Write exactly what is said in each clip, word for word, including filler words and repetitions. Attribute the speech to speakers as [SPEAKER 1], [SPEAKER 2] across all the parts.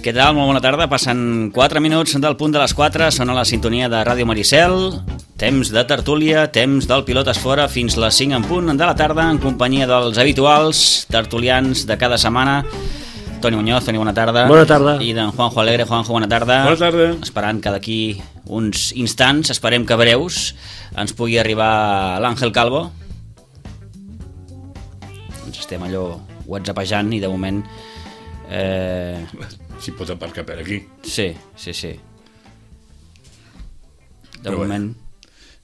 [SPEAKER 1] Què tal? Molt bona tarda. Passen quatre minuts del punt de les quatre. Sona la sintonia de Ràdio Maricel. Temps de tertúlia, temps del Pilotes Fora fins les cinc en punt de la tarda en companyia dels habituals tertulians de cada setmana. Toni Muñoz, Toni, bona tarda.
[SPEAKER 2] Bona tarda.
[SPEAKER 1] I d'en Juanjo Alegre. Juanjo, bona tarda.
[SPEAKER 2] Bona tarda.
[SPEAKER 1] Esperant que d'aquí uns instants, esperem que breus, ens pugui arribar l'Àngel Calvo. Ens estem allò whatsappejant i de moment... Eh...
[SPEAKER 3] Si pot aparcar per aquí.
[SPEAKER 1] Sí, sí, sí. De
[SPEAKER 3] Però
[SPEAKER 1] moment...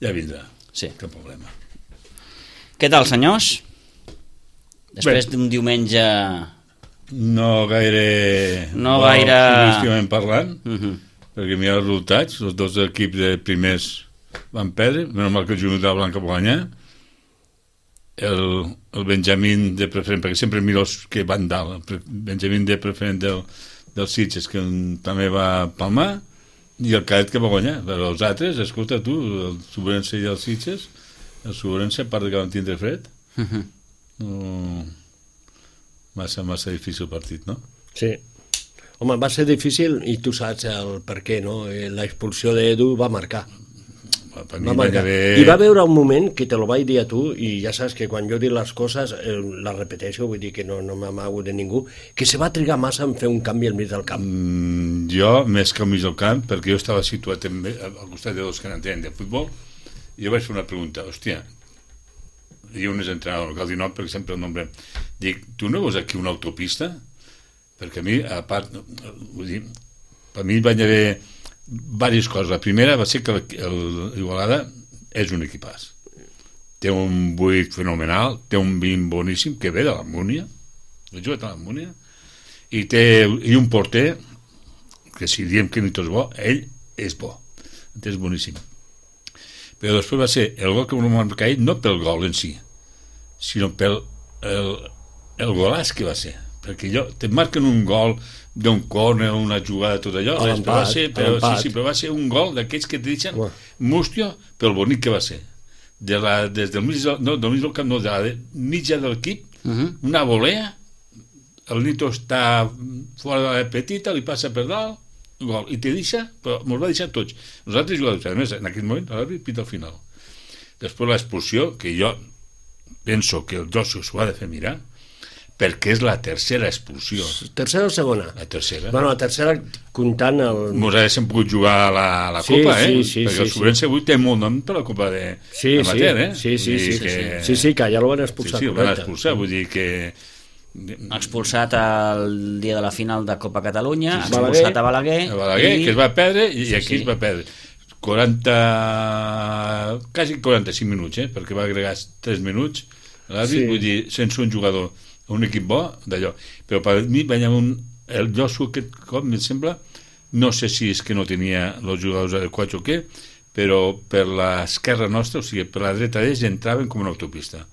[SPEAKER 3] Ja vindrà.
[SPEAKER 1] Sí.
[SPEAKER 3] Cap problema.
[SPEAKER 1] Què tal, senyors? Després d'un diumenge...
[SPEAKER 3] No gaire...
[SPEAKER 1] No gaire...
[SPEAKER 3] Futbolísticament parlant,
[SPEAKER 1] Uh -huh.
[SPEAKER 3] perquè mira els resultats, els dos equips de primers van perdre, menys mal que el Junta de Blanca va guanyar, el, el Benjamín de preferent, perquè sempre miro els que van dalt, el Benjamín de preferent del, del Sitges, que també va palmar, i el Cadet que va guanyar, però els altres, escolta tu, el Sobrense i el Sitges, el Sobrense, a part de que van tindre fred,
[SPEAKER 1] Uh -huh.
[SPEAKER 3] no... massa, massa difícil partit, no?
[SPEAKER 2] Sí. Home, va ser difícil i tu saps el per què, no? La expulsió d'Edu va marcar.
[SPEAKER 3] Per mi
[SPEAKER 2] Va
[SPEAKER 3] va
[SPEAKER 2] marcar.
[SPEAKER 3] haver...
[SPEAKER 2] I va veure un moment que te lo vaig dir a tu i ja saps que quan jo dic les coses eh, les repeteixo, vull dir que no, no m'amago de ningú, que se va trigar massa en fer un canvi al mig del camp.
[SPEAKER 3] Mm, jo, més que al mig del camp, perquè jo estava situat també al costat de dos que n'entenen de futbol, i jo vaig fer una pregunta, hòstia, i un és entrenador, no cal dir nom perquè sempre el nombrem, dic, tu no veus aquí una autopista? Perquè a mi, a part, vull dir, per mi van haver diverses coses. La primera va ser que l'Igualada és un equipàs. Té un buit fenomenal, té un vint boníssim, que ve de la Múnia, he jugat a la Múnia, i té i un porter, que si diem que Nito és bo, ell és bo, és boníssim. Però després va ser el gol que vam marcar ell, no pel gol en si, sinó pel el, el golàs que va ser. Perquè allò, te marquen un gol d'un córner, una jugada, tot allò, res, però va ser, però, sí, sí, però va ser un gol d'aquells que et deixen mústio pel bonic que va ser. De la, des del mig, no, del mig del camp, no, de la de, mitja de l'equip, uh -huh. una volea, el Nito està fora de la petita, li passa per dalt, gol, i te deixa, però mos va deixar tots. Nosaltres jugadors, a més, en aquell moment, l'àrbit pita al final. Després l'expulsió, que jo penso que el Josu s'ho ha de fer mirar, perquè és la tercera expulsió.
[SPEAKER 2] Tercera o segona?
[SPEAKER 3] La tercera.
[SPEAKER 2] Bueno, la tercera comptant el...
[SPEAKER 3] Mos haguéssim pogut jugar a la, a la
[SPEAKER 2] sí,
[SPEAKER 3] Copa, eh?
[SPEAKER 2] Sí, sí,
[SPEAKER 3] perquè
[SPEAKER 2] sí,
[SPEAKER 3] el Sobrense
[SPEAKER 2] sí.
[SPEAKER 3] avui té molt nom per la Copa de,
[SPEAKER 2] sí,
[SPEAKER 3] de Mater, eh?
[SPEAKER 2] Sí, sí, sí, sí,
[SPEAKER 3] que...
[SPEAKER 2] sí, sí, que ja el van expulsar.
[SPEAKER 3] Sí, sí, el van expulsar, vull dir que...
[SPEAKER 1] Expulsat el dia de la final de Copa Catalunya,
[SPEAKER 2] sí,
[SPEAKER 1] expulsat a Balaguer,
[SPEAKER 3] a Balaguer i... que es va perdre i
[SPEAKER 1] sí,
[SPEAKER 3] aquí sí. es va perdre quaranta quasi quaranta-cinc minuts, eh? Perquè va agregar tres minuts l'àrbit, sí. Vull dir, sense un jugador un equip bo d'allò, però per mi va haver un, el Josu aquest cop em sembla, no sé si és que no tenia els jugadors adequats o què, però per l'esquerra nostra, o sigui, per la dreta d'ells entraven com una autopista.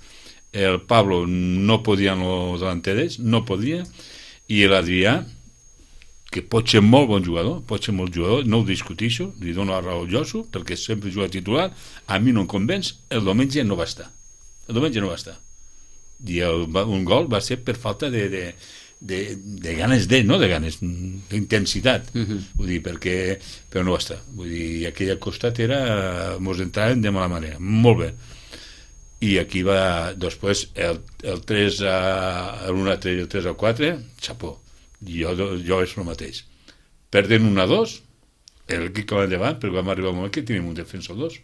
[SPEAKER 3] El Pablo no podia en els delanteres, no podia, i l'Adrià, que pot ser molt bon jugador, pot ser molt jugador, no ho discutixo, li dono la raó al Josu, perquè sempre juga titular, a mi no em convenç, el diumenge no va estar. El diumenge no va estar. I el, un gol va ser per falta de, de, de, de ganes de, no de ganes, d'intensitat, uh -huh. Vull dir, perquè, però no va estar. Vull dir, aquella costat era, mos entraven de mala manera, molt bé. I aquí va, després, el, el tres a l'un a tres i el tres a quatre, xapó. Jo, jo és el mateix. Perden un a dos, l'equip que va endavant, perquè vam arribar al moment que tenim un defensa o dos.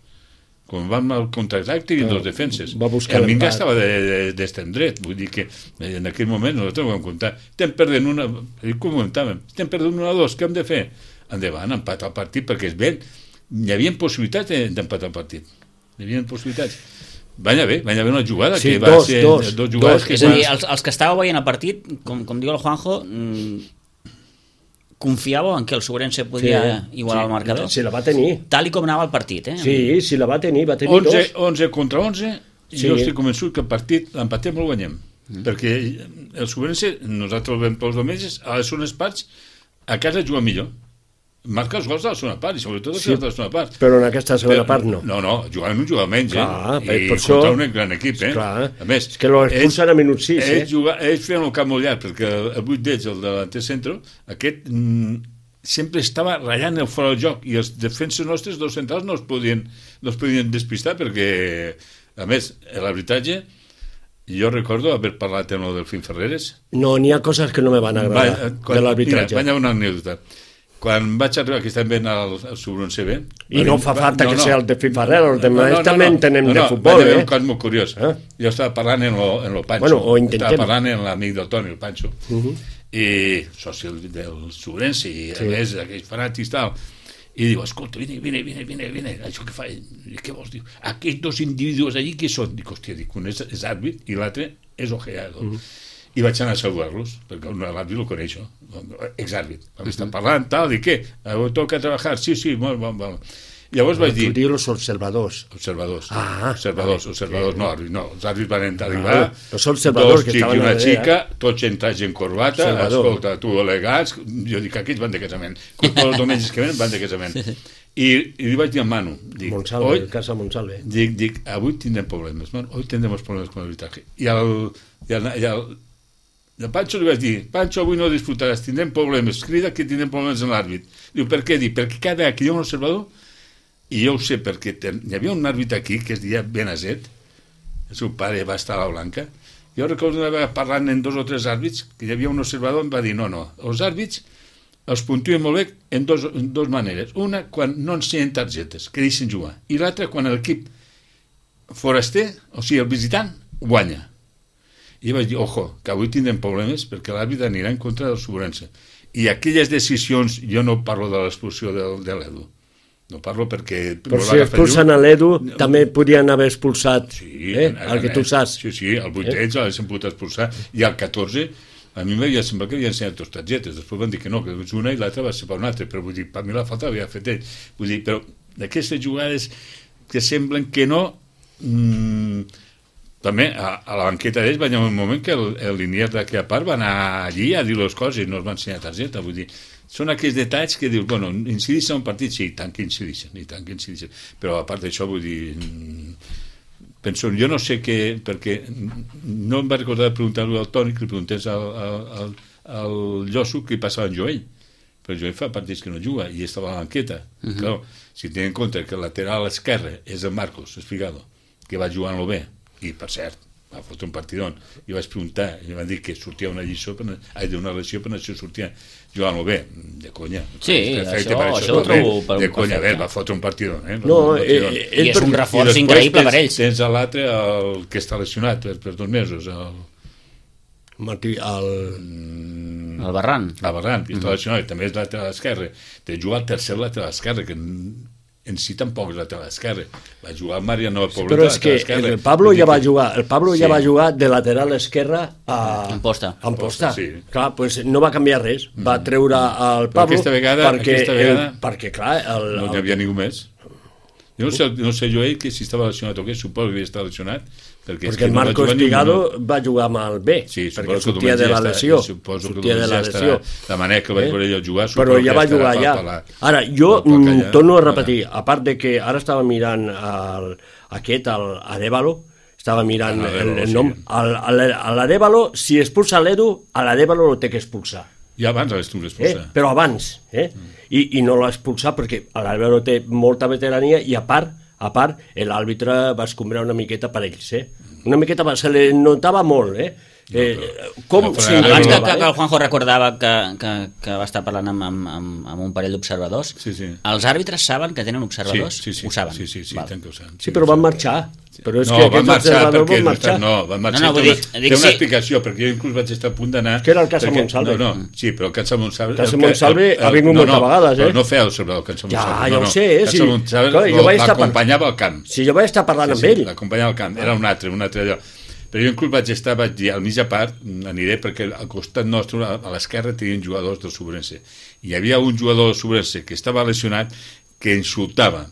[SPEAKER 3] Quan vam al contraatac tenien dos defenses. El Minga estava d'extrem dret, vull dir que en aquell moment nosaltres ho vam comptar. Estem perdent una, com comentàvem, estem perdent una a dos, què hem de fer? Endavant, empatar el partit, perquè és bé, hi havia possibilitats d'empatar el partit. Hi havia possibilitats. Va anar bé, va anar bé una jugada
[SPEAKER 2] sí,
[SPEAKER 3] que va
[SPEAKER 2] dos,
[SPEAKER 3] ser
[SPEAKER 2] dos,
[SPEAKER 3] dos jugades
[SPEAKER 2] dos,
[SPEAKER 3] que
[SPEAKER 1] és a dir, els, els que estàveu veient el partit, com, com diu el Juanjo, mmm, confiàveu en que el Sobrense podia sí, igualar
[SPEAKER 2] sí,
[SPEAKER 1] el marcador?
[SPEAKER 2] Sí, la va tenir.
[SPEAKER 1] Tal i com anava el partit, eh?
[SPEAKER 2] Sí, sí, la va tenir, va tenir
[SPEAKER 3] onze,
[SPEAKER 2] dos.
[SPEAKER 3] onze contra onze, i sí. Jo estic convençut que el partit l'empatem o el guanyem. Mm. Perquè el Sobrense, nosaltres el veiem pels diumenges, a les segones parts, a casa juga millor. marca els gols de la segona part, i sobretot els
[SPEAKER 2] Sí,
[SPEAKER 3] gols de la segona part.
[SPEAKER 2] però en aquesta segona part no.
[SPEAKER 3] No, no, jugant un jugador menys,
[SPEAKER 2] Clar,
[SPEAKER 3] eh? I
[SPEAKER 2] per això-
[SPEAKER 3] contra un gran equip, eh?
[SPEAKER 2] Clar,
[SPEAKER 3] A més,
[SPEAKER 2] és que lo expulsen a minut sis, eh?
[SPEAKER 3] ells, juga, ells feien un camp molt llarg, perquè el, el vuit d'ells, el delanter centro, aquest mm, sempre estava ratllant el fora del joc, i els defenses nostres, dos centrals, no es podien, no es podien despistar, perquè, a més, l'arbitratge, jo recordo haver parlat amb el Delfín Ferreres.
[SPEAKER 2] No, n'hi ha coses que no me van agradar
[SPEAKER 3] Va, quan,
[SPEAKER 2] de l'arbitratge.
[SPEAKER 3] Mira, vaig a una anècdota. Quan vaig arribar, que estem veient el, el Subron C B...
[SPEAKER 2] I no fa falta que sigui el de Fifarrero, els demés també en tenem
[SPEAKER 3] no,
[SPEAKER 2] de
[SPEAKER 3] no,
[SPEAKER 2] futbol,
[SPEAKER 3] vaig a
[SPEAKER 2] eh?
[SPEAKER 3] un cas molt curiós.
[SPEAKER 2] Ah.
[SPEAKER 3] Jo estava parlant en lo, en lo Pancho.
[SPEAKER 2] Bueno, o intentem.
[SPEAKER 3] Estava parlant amb l'amic del Toni, el Pancho.
[SPEAKER 2] Uh -huh.
[SPEAKER 3] I soci del Subrense, i a
[SPEAKER 2] Sí.
[SPEAKER 3] més, aquells fanàtics tal. I diu, escolta, vine, vine, vine, vine, vine, això què fa? I què vols? Diu, aquests dos individus allí, què són? Dic, hòstia, dic, un és, és àrbit i l'altre és ojeado. Uh -huh. I vaig anar a saludar-los, perquè l'àrbit lo coneixo, exàrbit. Vam estar parlant, tal, i què? Avui toca treballar? Sí, sí, molt, molt, molt. Llavors vaig dir...
[SPEAKER 2] Tu dius els observadors.
[SPEAKER 3] Observadors.
[SPEAKER 2] Ah,
[SPEAKER 3] observadors,
[SPEAKER 2] vale.
[SPEAKER 3] observadors, no, àrbits, no. Els àrbits van entrar i
[SPEAKER 2] Ah,
[SPEAKER 3] va.
[SPEAKER 2] els observadors
[SPEAKER 3] dos
[SPEAKER 2] que
[SPEAKER 3] xics
[SPEAKER 2] estaven
[SPEAKER 3] i una
[SPEAKER 2] darrere,
[SPEAKER 3] xica, tots en traje en corbata,
[SPEAKER 2] Observador.
[SPEAKER 3] escolta, tu elegants, jo dic, aquests van de casament. Tots els diumenges que venen van de casament. I, i li vaig dir a Manu, dic,
[SPEAKER 2] Monsalve,
[SPEAKER 3] oi,
[SPEAKER 2] el casa Monsalve.
[SPEAKER 3] dic, dic, avui tindrem problemes, Manu, hoy tendremos problemes con el arbitraje. I el, i el, i el, i el Pancho li vaig dir, Pancho, avui no disfrutaràs, tindrem problemes, crida que tindrem problemes en l'àrbit. Diu, per què? Dic, perquè cada vegada que hi ha un observador, i jo ho sé, perquè ten, hi havia un àrbit aquí que es deia Benazet, el seu pare va estar a la Blanca, jo recordo una vegada parlant en dos o tres àrbits, que hi havia un observador, em va dir, no, no, els àrbits els puntuen molt bé en dos, en dos maneres. Una, quan no ensenyen targetes, que deixen jugar, i l'altra, quan l'equip foraster, o sigui, el visitant, guanya. I vaig dir, ojo, que avui tindrem problemes perquè l'àrbit anirà en contra del Subrense. I aquelles decisions, jo no parlo de l'expulsió de, de l'Edu, no parlo perquè...
[SPEAKER 2] Però si expulsen a l'Edu, també podien haver expulsat
[SPEAKER 3] sí,
[SPEAKER 2] eh? el que tu saps.
[SPEAKER 3] Sí, sí, el vuitè eh? l'haguessin pogut expulsar, i el catorze, a mi m'havia semblat que havien ensenyat dos targetes, després van dir que no, que és una i l'altra va ser per una altra, però vull dir, per mi la falta havia fet ell. Vull dir, però d'aquestes jugades que semblen que no... Mmm, també a, a la banqueta d'ells va haver un moment que el, el linier d'aquella part va anar allí a dir les coses i no es va ensenyar targeta, vull dir, són aquells detalls que dius, bueno, incideixen en un partit, sí, tant que incideixen, i tant que incideixen, però a part d'això, vull dir, penso, jo no sé què, perquè no em va recordar preguntar-lo al Toni, que li preguntés al, al, al, al Llosso què passava en Joel, però Joel fa partits que no juga i estava a la banqueta. Uh -huh. Clar, si tenen en compte que el lateral esquerre és el Marcos Espigado, que va jugant-lo bé, i per cert, va fotre un partidón, i vaig preguntar, i van dir que sortia una lliçó, per, ai, d'una lesió, per això sortia jugant-lo bé, de conya.
[SPEAKER 1] Sí,
[SPEAKER 3] perfecte,
[SPEAKER 1] això,
[SPEAKER 3] per
[SPEAKER 1] això ho trobo per
[SPEAKER 3] de
[SPEAKER 1] un
[SPEAKER 3] conya,
[SPEAKER 1] perfecte.
[SPEAKER 3] bé, va fotre un partidón, eh?
[SPEAKER 2] No,
[SPEAKER 3] un partidón.
[SPEAKER 2] eh, eh,
[SPEAKER 1] I és un reforç
[SPEAKER 3] I
[SPEAKER 1] increïble
[SPEAKER 3] tens,
[SPEAKER 1] per ells.
[SPEAKER 3] Tens l'altre, el que està lesionat per, per dos mesos, el...
[SPEAKER 2] Martí, el...
[SPEAKER 3] Mm,
[SPEAKER 1] El Barran.
[SPEAKER 3] el Barran, que està lesionat, i també és lateral esquerre. De jugar al tercer lateral esquerre, que en si tampoc és lateral esquerre. Va jugar el Mariano Poblet,
[SPEAKER 2] Però és que el Pablo ja va jugar, el Pablo ja va jugar de lateral esquerra a...
[SPEAKER 1] En posta.
[SPEAKER 2] En posta.
[SPEAKER 3] Sí.
[SPEAKER 2] Clar, pues no va canviar res. Va treure el Pablo
[SPEAKER 3] aquesta vegada-
[SPEAKER 2] perquè,
[SPEAKER 3] aquesta vegada-
[SPEAKER 2] el, perquè clar, el,
[SPEAKER 3] no hi havia ningú més. Jo no sé, no sé jo ell que si estava lesionat o què, suposo que havia estat lesionat, perquè, és
[SPEAKER 2] perquè
[SPEAKER 3] que
[SPEAKER 2] el
[SPEAKER 3] no va
[SPEAKER 2] Marco
[SPEAKER 3] jugar
[SPEAKER 2] Espigado
[SPEAKER 3] ningú.
[SPEAKER 2] va jugar amb el B,
[SPEAKER 3] Sí,
[SPEAKER 2] perquè
[SPEAKER 3] suposo que
[SPEAKER 2] sortia de la
[SPEAKER 3] diumenge
[SPEAKER 2] lesió.
[SPEAKER 3] està- suposo que
[SPEAKER 2] Sortia de la
[SPEAKER 3] diumenge
[SPEAKER 2] lesió.
[SPEAKER 3] estarà, la manera que vaig
[SPEAKER 2] Eh?
[SPEAKER 3] veure jo jugar,
[SPEAKER 2] Però
[SPEAKER 3] suposo
[SPEAKER 2] ja
[SPEAKER 3] que
[SPEAKER 2] va
[SPEAKER 3] estarà
[SPEAKER 2] jugar
[SPEAKER 3] per-
[SPEAKER 2] ja.
[SPEAKER 3] per la-
[SPEAKER 2] Ara, jo
[SPEAKER 3] per
[SPEAKER 2] mm,
[SPEAKER 3] callar.
[SPEAKER 2] torno a repetir, a part de que ara estava mirant el, aquest, el Arevalo, estava mirant
[SPEAKER 3] Ah,
[SPEAKER 2] el,
[SPEAKER 3] l'Arevalo,
[SPEAKER 2] el
[SPEAKER 3] sí.
[SPEAKER 2] nom, el- el- a l'Arevalo, si expulsa l'Edu, a l'Arevalo lo té que expulsar.
[SPEAKER 3] Ja abans l'hagués tu
[SPEAKER 2] Eh?
[SPEAKER 3] expulsar.
[SPEAKER 2] Però abans, eh? I, i no l'ha expulsat perquè l'Arevalo té molta veterania i a part, a part l'àrbitre va escombrar una miqueta per ells, eh? Una miqueta, se li notava molt, eh? Eh, com
[SPEAKER 3] no, però
[SPEAKER 2] s'hi
[SPEAKER 3] ara-
[SPEAKER 1] Abans que,
[SPEAKER 2] notava,
[SPEAKER 1] que, que
[SPEAKER 2] eh?
[SPEAKER 1] el Juanjo recordava que, que, que va estar parlant amb, amb, amb, amb un parell d'observadors,
[SPEAKER 3] Sí, sí.
[SPEAKER 1] els àrbitres saben que tenen observadors?
[SPEAKER 3] Sí, sí, sí,
[SPEAKER 1] Ho saben?
[SPEAKER 3] sí, sí, sí,
[SPEAKER 1] Val.
[SPEAKER 3] tant que ho saben.
[SPEAKER 2] Sí, però van marxar. Però és
[SPEAKER 3] no,
[SPEAKER 2] que
[SPEAKER 3] van
[SPEAKER 2] aquests
[SPEAKER 3] marxar
[SPEAKER 2] observadors
[SPEAKER 3] perquè
[SPEAKER 2] van marxar.
[SPEAKER 3] no, van marxar
[SPEAKER 1] No, no, vull
[SPEAKER 3] té una,
[SPEAKER 1] dir-
[SPEAKER 3] té
[SPEAKER 1] dic
[SPEAKER 3] una
[SPEAKER 1] sí.
[SPEAKER 3] explicació, perquè jo inclús vaig estar a punt d'anar...
[SPEAKER 2] Que era el Casa
[SPEAKER 3] perquè-
[SPEAKER 2] Monsalve.
[SPEAKER 3] No, no, sí, però el Casa Monsalve...
[SPEAKER 2] Casa
[SPEAKER 3] el que-
[SPEAKER 2] Monsalve
[SPEAKER 3] el-
[SPEAKER 2] ha vingut
[SPEAKER 3] no,
[SPEAKER 2] moltes
[SPEAKER 3] no,
[SPEAKER 2] vegades, eh?
[SPEAKER 3] Però no feia el Monsalve, el Casa
[SPEAKER 2] Ja,
[SPEAKER 3] Monsalve.
[SPEAKER 2] ja
[SPEAKER 3] no,
[SPEAKER 2] ho
[SPEAKER 3] no.
[SPEAKER 2] sé, eh?
[SPEAKER 3] Casa
[SPEAKER 2] Sí.
[SPEAKER 3] Monsalve
[SPEAKER 2] Clar, jo vaig estar par-
[SPEAKER 3] l'acompanyava al camp.
[SPEAKER 2] Si jo vaig estar parlant amb
[SPEAKER 3] Sí,
[SPEAKER 2] ell.
[SPEAKER 3] l'acompanyava al camp, era un altre, un altre allò. Però jo inclús vaig estar, vaig dir, al mitja part aniré perquè al costat nostre, a l'esquerra, tenien jugadors del Subrense. I hi havia un jugador del Subrense que estava lesionat que insultava.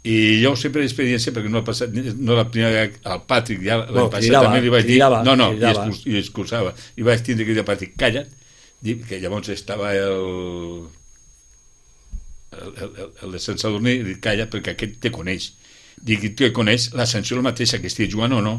[SPEAKER 3] I jo ho sé per experiència, perquè no ha passat, no la primera vegada, al Patrick ja l'any
[SPEAKER 2] No,
[SPEAKER 3] passat
[SPEAKER 2] cridava,
[SPEAKER 3] també li vaig dir,
[SPEAKER 2] cridava,
[SPEAKER 3] no, no, i,
[SPEAKER 2] cridava.
[SPEAKER 3] excus, i excusava. I vaig tindre que dir al Patrick, calla't, dir que llavors estava el... el, el, el de Sant Sadurní li calla perquè aquest te coneix. Dic, te coneix la sanció la mateixa que estigui jugant o no.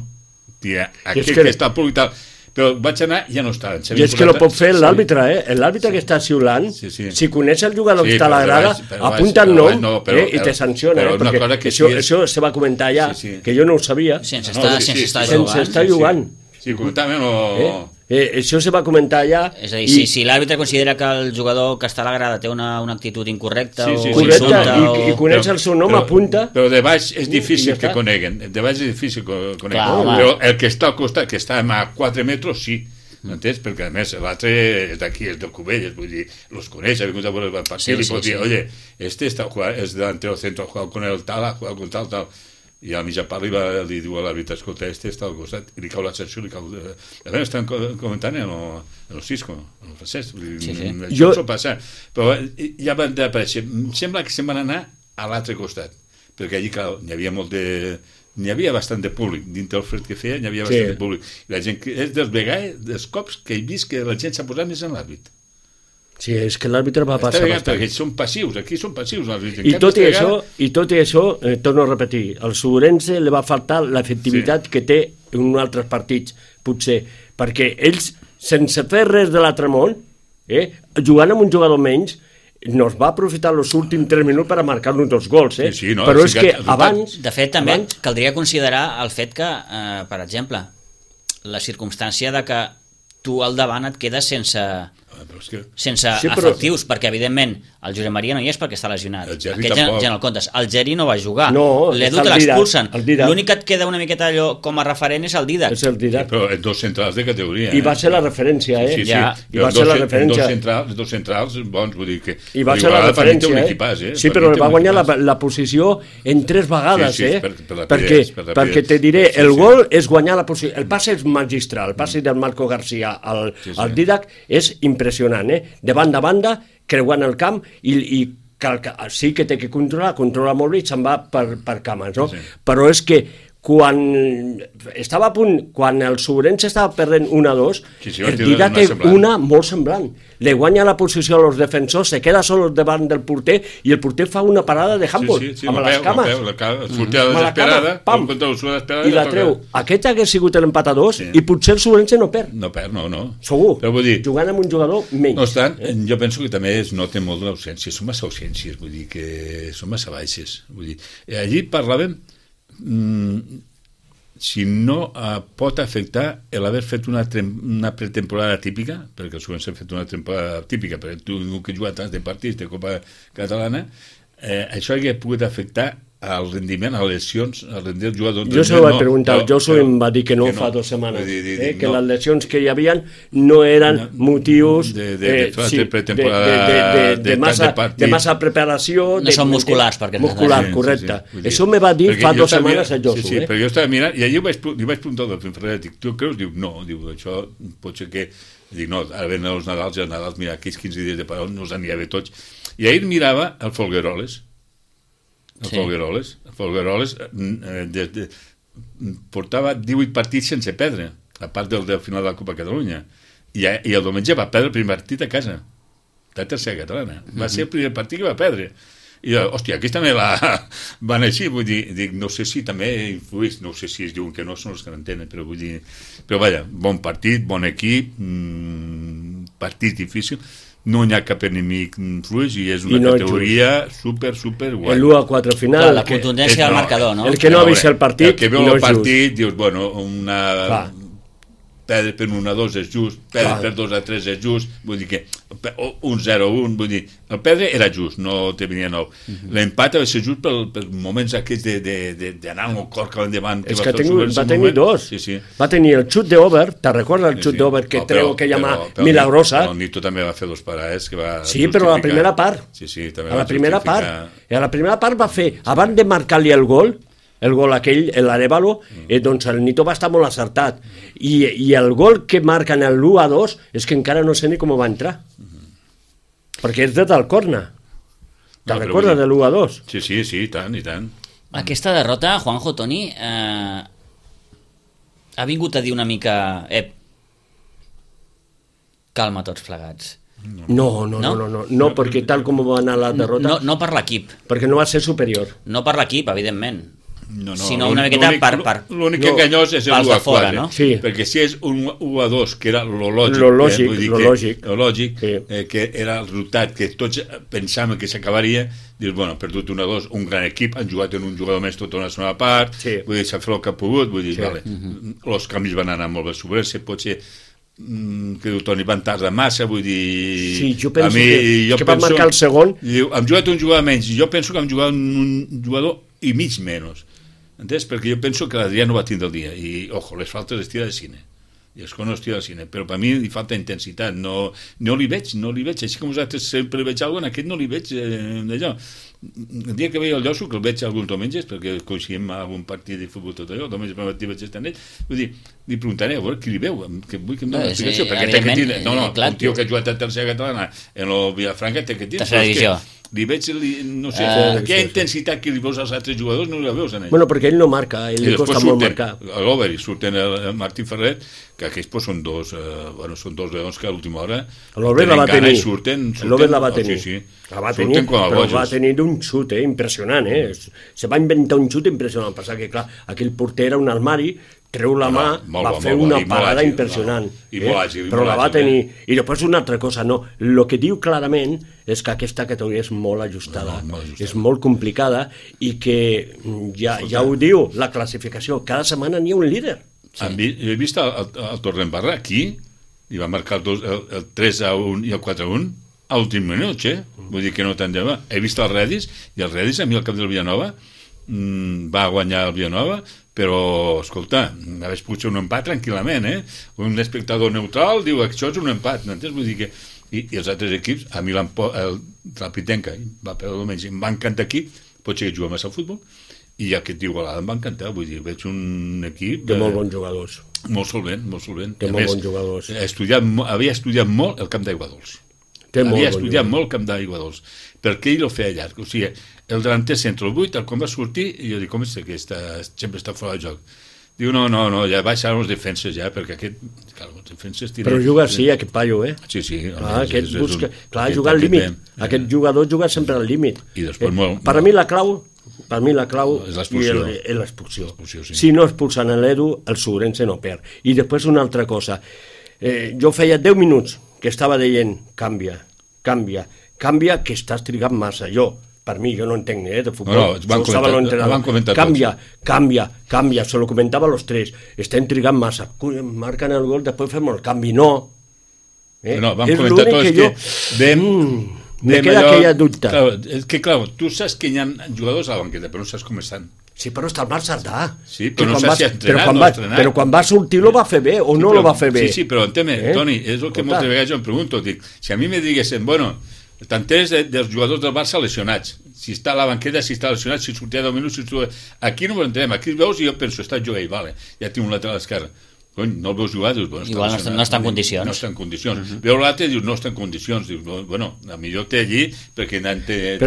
[SPEAKER 3] Dic, aquest que, que està al públic tal. Però vaig anar i ja no està.
[SPEAKER 2] I és que no pot fer l'àrbitre, eh? L'àrbitre sí. que està xiulant, sí, sí. si coneix el jugador sí, que està a la grada, apunta el nom no, però, eh, i te sanciona, eh? Perquè que això, és... això se va comentar ja, sí, sí. que jo no ho sabia.
[SPEAKER 1] Sense estar, no, sí, sí, sense
[SPEAKER 2] sí,
[SPEAKER 1] jugant.
[SPEAKER 2] Sense estar jugant.
[SPEAKER 3] Sí, comentàvem o...
[SPEAKER 2] Eh? Eh, això se va comentar ja...
[SPEAKER 1] És a dir, i... si, si l'àrbitre considera que el jugador que està a la grada té una, una actitud incorrecta sí, sí, o
[SPEAKER 2] correcte,
[SPEAKER 1] insulta...
[SPEAKER 2] I, o... i coneix el seu nom,
[SPEAKER 3] però,
[SPEAKER 2] apunta...
[SPEAKER 3] Però de baix és difícil que coneguen. De baix és difícil que coneguen.
[SPEAKER 1] Clar,
[SPEAKER 3] però el que està al costat, que està a quatre metres, sí. M'entens? Perquè a més l'altre és d'aquí, és de Cubelles, vull dir, los coneix, ha vingut a veure el partit, sí, li sí, pot dir, sí. oye, este está, es delantero centro, ha jugado con el tal, ha jugado con tal, tal... I a mitja part li, va, li diu a l'àrbitre, escolta, este està al costat, i li cau la sanció, li cau... A veure, estan comentant en el, en el Cisco, en el francès, sí, sí. això jo... s'ho passa, però ja van aparèixer, sembla que se'n van anar a l'altre costat, perquè allí, clar, n'hi havia molt de... N'hi havia bastant de públic, dintre el fred que feia, n'hi havia bastant sí. de públic. I la gent, és dels vegades, dels cops que he vist que la gent s'ha posat més en l'àrbit.
[SPEAKER 2] Sí, és que l'àrbitre va passar
[SPEAKER 3] bastant. Perquè són passius, aquí són passius.
[SPEAKER 2] I tot i, això, I tot i això, eh, torno a repetir, al Sobrense li va faltar l'efectivitat sí. que té en altres partits, potser, perquè ells, sense fer res de l'altre món, eh, jugant amb un jugador menys, nos va aprofitar els últims tres minuts per a marcar-nos dos gols, eh?
[SPEAKER 3] Sí, sí, no,
[SPEAKER 2] però és que,
[SPEAKER 3] que
[SPEAKER 2] abans...
[SPEAKER 1] De fet, també
[SPEAKER 2] abans...
[SPEAKER 1] caldria considerar el fet que, eh, per exemple, la circumstància de que tu al davant et quedes sense... Però és que... sense sí, però... efectius, perquè evidentment el Josep Maria no hi és perquè està lesionat. Aquest ja, ja no el comptes. El Geri no va jugar.
[SPEAKER 2] No,
[SPEAKER 1] l'Edu te l'expulsen. L'únic que et queda una miqueta allò com a referent és el Didac.
[SPEAKER 2] És el Didac.
[SPEAKER 3] Sí, però en dos centrals de categoria.
[SPEAKER 2] I va ser la referència, eh?
[SPEAKER 3] Sí, sí, sí.
[SPEAKER 2] Ja. I va ser la referència.
[SPEAKER 3] Dos centrals, dos centrals bons, vull dir que...
[SPEAKER 2] I va ser la referència, eh? Equipàs, eh? Sí, però va guanyar la, la posició en tres vegades, sí, sí, eh? Per, per perquè, per perquè te diré, sí, sí. el gol és guanyar la posició. El passe és magistral. El passe del Marco García al, sí, sí. al Didac és impressionant, eh? De banda a banda, creuant el camp i, i cal, sí que té que controlar, controla molt bé i se'n va per, per cames, no? Sí. Però és que quan estava a punt, quan el Sobrense estava perdent una a dos, sí, sí, el Didac té una molt semblant. Le guanya la posició a los defensors, se queda sol davant del porter i el porter fa una parada de handball, sí, sí, sí, amb les cames.
[SPEAKER 3] Sortia mm. desesperada, pam, desesperada,
[SPEAKER 2] i la treu. Aquest hagués sigut l'empat a dos sí. i potser el Sobrense no perd.
[SPEAKER 3] No perd, no, no.
[SPEAKER 2] Segur,
[SPEAKER 3] però vull dir,
[SPEAKER 2] jugant amb un jugador menys.
[SPEAKER 3] No obstant, eh? jo penso que també es nota molt l'ausència, són massa ausències, vull dir que són massa baixes. Vull dir, allí parlàvem Mm, si no eh, pot afectar l'haver fet una, una pretemporada típica, perquè els següents han fet una temporada típica, perquè tu que has jugat tants de partits de Copa Catalana, eh, això hauria pogut afectar al rendiment, a les lesions, al rendiment del jugador.
[SPEAKER 2] Jo se ho vaig preguntar, no, Josu em va dir que no, que no fa dues setmanes, dir, dir, eh, que no. les lesions que hi havia no eren no, motius
[SPEAKER 3] de, de, de, eh, sí, de, de,
[SPEAKER 2] de, de, de, massa, de, de massa preparació.
[SPEAKER 1] No
[SPEAKER 2] de,
[SPEAKER 1] són musculars, perquè
[SPEAKER 2] muscular, sí, correcte. Sí, sí. Això me va dir perquè fa dues setmanes a Josu.
[SPEAKER 3] Sí, sí,
[SPEAKER 2] eh?
[SPEAKER 3] perquè jo estava mirant, i allà vaig, li vaig preguntar al Ferrer, dic, tu creus? Diu, no, diu, això pot ser que... Dic, no, ara venen els Nadals, i els Nadals, mira, aquells quinze dies de parol no els anirà bé tots. I ahir mirava el Folgueroles, el sí. Folgueroles, el Folgueroles eh, de, de, portava divuit partits sense perdre, a part del, del final de la Copa Catalunya, i, i el diumenge va perdre el primer partit a casa, la tercera catalana, va mm-hmm. ser el primer partit que va perdre, i hòstia, aquí també la van així, vull dir, dic, no sé si també influís, no sé si es diuen que no són els que n'entenen, però vull dir, però vaja, bon partit, bon equip, mmm, partit difícil, no hi ha cap enemic fluix i és una I no categoria super, super guai.
[SPEAKER 2] El u a quatre final.
[SPEAKER 1] Clar, la contundència del marcador, no?
[SPEAKER 2] El que no ha vist el partit,
[SPEAKER 3] el que veu
[SPEAKER 2] no
[SPEAKER 3] el partit, dius, bueno, una... Clar. Perdre per un a dos és just, perdre per dos a tres és just, vull dir que un zero a un, vull dir, el perdre era just, no te venia nou. Uh-huh. L'empat va ser just per, per moments aquests d'anar amb el cor cap endavant.
[SPEAKER 2] És que, que tenir, va tenir moment. dos. Sí, sí. Va tenir el xut d'Over, te recordes el xut sí, sí. d'Over que no, treu aquella mà milagrosa?
[SPEAKER 3] El Nito també va fer dos parades que va
[SPEAKER 2] sí, però a la primera part.
[SPEAKER 3] Sí, sí, també
[SPEAKER 2] a la primera part. A la primera part va fer, abans de marcar-li el gol, el gol aquell, l'Arevalo, eh, doncs el Nito va estar molt acertat. I, i el gol que marquen el u a dos és que encara no sé ni com va entrar. Mm-hmm. Perquè és del corna. Te'n no, recordes de l'u a dos?
[SPEAKER 3] Sí, sí, sí, i tant, i tant.
[SPEAKER 1] Aquesta derrota, Juanjo, Toni, eh, ha vingut a dir una mica... Ep, calma tots plegats.
[SPEAKER 2] No, no, no, no, no, no, no perquè tal com va anar la derrota...
[SPEAKER 1] No, no per l'equip.
[SPEAKER 2] Perquè no va ser superior.
[SPEAKER 1] No per l'equip, evidentment.
[SPEAKER 3] No, no,
[SPEAKER 1] sinó una miqueta per... per
[SPEAKER 3] L'únic
[SPEAKER 1] no,
[SPEAKER 3] enganyós és el u a quatre,
[SPEAKER 1] no?
[SPEAKER 3] sí. Perquè si és un u a dos, que era lo lògic,
[SPEAKER 2] lo lògic,
[SPEAKER 3] eh,
[SPEAKER 2] lo
[SPEAKER 3] que,
[SPEAKER 2] lògic,
[SPEAKER 3] lo lògic
[SPEAKER 2] sí.
[SPEAKER 3] eh, que era el resultat que tots pensàvem que s'acabaria, dius, bueno, perdut un a dos, un gran equip, han jugat en un jugador més tota una segona part,
[SPEAKER 2] sí.
[SPEAKER 3] vull dir, s'ha fet el que ha pogut, vull dir,
[SPEAKER 2] sí.
[SPEAKER 3] vale, uh-huh. Els canvis van anar molt bé sobre, se pot ser que diu Toni, van tardar massa, vull dir...
[SPEAKER 2] Sí, jo penso
[SPEAKER 3] a mi,
[SPEAKER 2] que,
[SPEAKER 3] jo
[SPEAKER 2] que
[SPEAKER 3] penso,
[SPEAKER 2] van marcar el segon...
[SPEAKER 3] Diu, hem jugat un jugador menys, jo penso que hem jugat un jugador i mig menys. Entens? Perquè jo penso que l'Adrià no va tindre el dia i, ojo, les faltes es tira de cine i és que no es tira de cine, però per mi li falta intensitat, no, no li veig no li veig, així com vosaltres sempre veig alguna cosa, en aquest no li veig eh, d'allò. El dia que veia el Llosso, que el veig alguns diumenges perquè coincidim a algun partit de futbol tot allò, diumenge per matí vaig estar en ell, vull dir, li preguntaré a veure qui li veu, que vull que em doni una explicació, perquè té que tindre, no, no, un tio que ha jugat a tercera catalana en el Vilafranca té que tindre,
[SPEAKER 1] tercera divisió.
[SPEAKER 3] Li veig, li, no sé, uh, aquella intensitat que li veus als altres jugadors no la veus en ell.
[SPEAKER 2] Bueno, perquè ell no marca, ell li costa molt marcar.
[SPEAKER 3] A l'Over surten el Martí Ferret, que aquells pues, són dos, eh, bueno, són dos leons que a l'última hora
[SPEAKER 2] l'Over la va tenir,
[SPEAKER 3] surten, surten,
[SPEAKER 2] l'Over la va tenir,
[SPEAKER 3] oh, sí, sí.
[SPEAKER 2] la va tenir, però va tenir un xut, eh, impressionant, eh? Se va inventar un xut impressionant, passar que clar, aquell porter era un armari, treu la mà, no, no, va bo, fer bo, una parada àgil, impressionant, no, i eh? àgil, però la va àgil, tenir, eh? I després una altra cosa, no, el que diu clarament és que aquesta categoria és molt ajustada, no, molt ajustada. És molt complicada i que ja, ja ho diu la classificació, cada setmana n'hi ha un líder.
[SPEAKER 3] Sí. He vist el, el, el Torredembarra aquí, i va marcar el, dos, el, el tres a un i el quatre a un a l'últim minut, eh? Vull dir que no tant lleva. He vist el Redis, i el Redis a mi al cap del Villanova mmm, va guanyar el Villanova, però, escolta, hagués pogut ser un empat tranquil·lament, eh? Un espectador neutral diu que això és un empat, no entens? Vull dir que... I, i els altres equips, a mi el Trapitenca va perdre almenys, em va encantar aquí, pot ser que juga massa al futbol, i aquest d'Igualada em va encantar, vull dir, veig un equip...
[SPEAKER 2] De molt bons jugadors.
[SPEAKER 3] Molt solvent, molt solvent.
[SPEAKER 2] De molt bons jugadors.
[SPEAKER 3] Estudiat, havia estudiat molt el camp d'Aigua Dols. Havia estudiat molt el camp d'Aigua Dols, perquè ell ho feia llarg, o sigui, el delanter centre, el vuit, quan va sortir, i jo dic, com és que està, sempre està fora de joc? Diu, no, no, no, ja baixaran els defenses ja, perquè aquest... Clar, els defenses tiren...
[SPEAKER 2] Però juga així, aquest paio, eh?
[SPEAKER 3] Sí, sí.
[SPEAKER 2] Clar, aquest és, busca... És un... Clar, juga al límit. Eh? Aquest jugador juga sempre al límit.
[SPEAKER 3] I després
[SPEAKER 2] eh?
[SPEAKER 3] molt...
[SPEAKER 2] Per a mi la clau, per a mi la clau
[SPEAKER 3] és l'expulsió.
[SPEAKER 2] És l'expulsió.
[SPEAKER 3] Sí.
[SPEAKER 2] Si no expulsen l'Edu, el Sobrense no perd. I després una altra cosa. Eh, jo feia deu minuts que estava dient, canvia, canvia, canvia, que estàs trigant massa. Jo, per mi, jo no entenc eh, de futbol.
[SPEAKER 3] No, no, van comentar, van comentar
[SPEAKER 2] canvia,
[SPEAKER 3] tots.
[SPEAKER 2] canvia, canvia, se lo comentava a los tres. Estem trigant massa. Marquen el gol, després fem el canvi. No.
[SPEAKER 3] Eh? No, van és comentar tots que, jo... que vam... Mm,
[SPEAKER 2] me queda allò, aquella dubte.
[SPEAKER 3] Clar, és que, clar, tu saps que hi ha jugadors a la banqueta, però no saps com estan.
[SPEAKER 2] Sí, però està el Marc Sardà.
[SPEAKER 3] Sí, però no saps si ha entrenat
[SPEAKER 2] però quan,
[SPEAKER 3] no
[SPEAKER 2] va,
[SPEAKER 3] entrenat.
[SPEAKER 2] Però quan va sortir lo va fer bé o
[SPEAKER 3] sí,
[SPEAKER 2] no
[SPEAKER 3] però,
[SPEAKER 2] lo va fer bé.
[SPEAKER 3] Sí, sí, però entén-me, eh? Toni, és el que moltes vegades jo em pregunto. Dic, si a mi me diguessin, bueno, t'enteres de, dels jugadors del Barça lesionats, si està a la banqueta, si està lesionat, si sortia deu minuts, si sortia... Aquí no ho entenem, aquí el veus i jo penso, està jugant, vale, ja tinc un lateral esquerre. Cony, no el veus jugar, dius, bueno,
[SPEAKER 1] igual no està, no està en condicions.
[SPEAKER 3] No està en condicions. Uh -huh. Veu l'altre i dius, no està en condicions. Dius, bueno, a millor té allí perquè té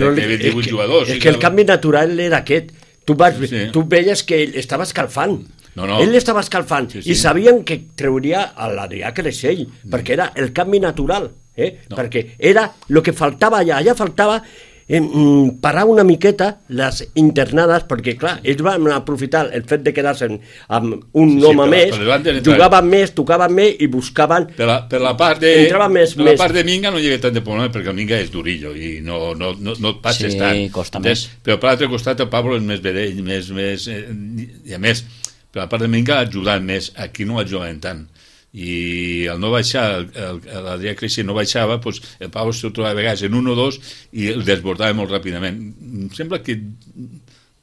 [SPEAKER 3] divuit jugadors.
[SPEAKER 2] És que el canvi natural era aquest. Tu, vas, sí. tu veies que ell estava escalfant.
[SPEAKER 3] No, no.
[SPEAKER 2] Ell estava escalfant sí, sí. i sabien que trauria a l'Adrià Creixell, mm. perquè era el canvi natural, eh? No. Perquè era el que faltava allà. Allà faltava eh, parar una miqueta les internades, perquè clar, ells van aprofitar el fet de quedar-se amb un sí, home sí, més, jugaven més, tocaven més i buscaven...
[SPEAKER 3] Per la, per la part de,
[SPEAKER 2] més,
[SPEAKER 3] per
[SPEAKER 2] més.
[SPEAKER 3] La part de Minga no hi havia tant de problema, perquè el Minga és durillo i no, no, no, no et passes
[SPEAKER 1] sí,
[SPEAKER 3] tant.
[SPEAKER 1] Sí, costa més.
[SPEAKER 3] Però per l'altre costat el Pablo és més vedell, més, més, eh, i a més, per la part de Minga ha ajudat més, aquí no ajudaven tant. I al no baixar, l'Adrià Creixell no baixava, doncs el Pau es trobava a vegades en un o dos i el desbordava molt ràpidament. Em sembla que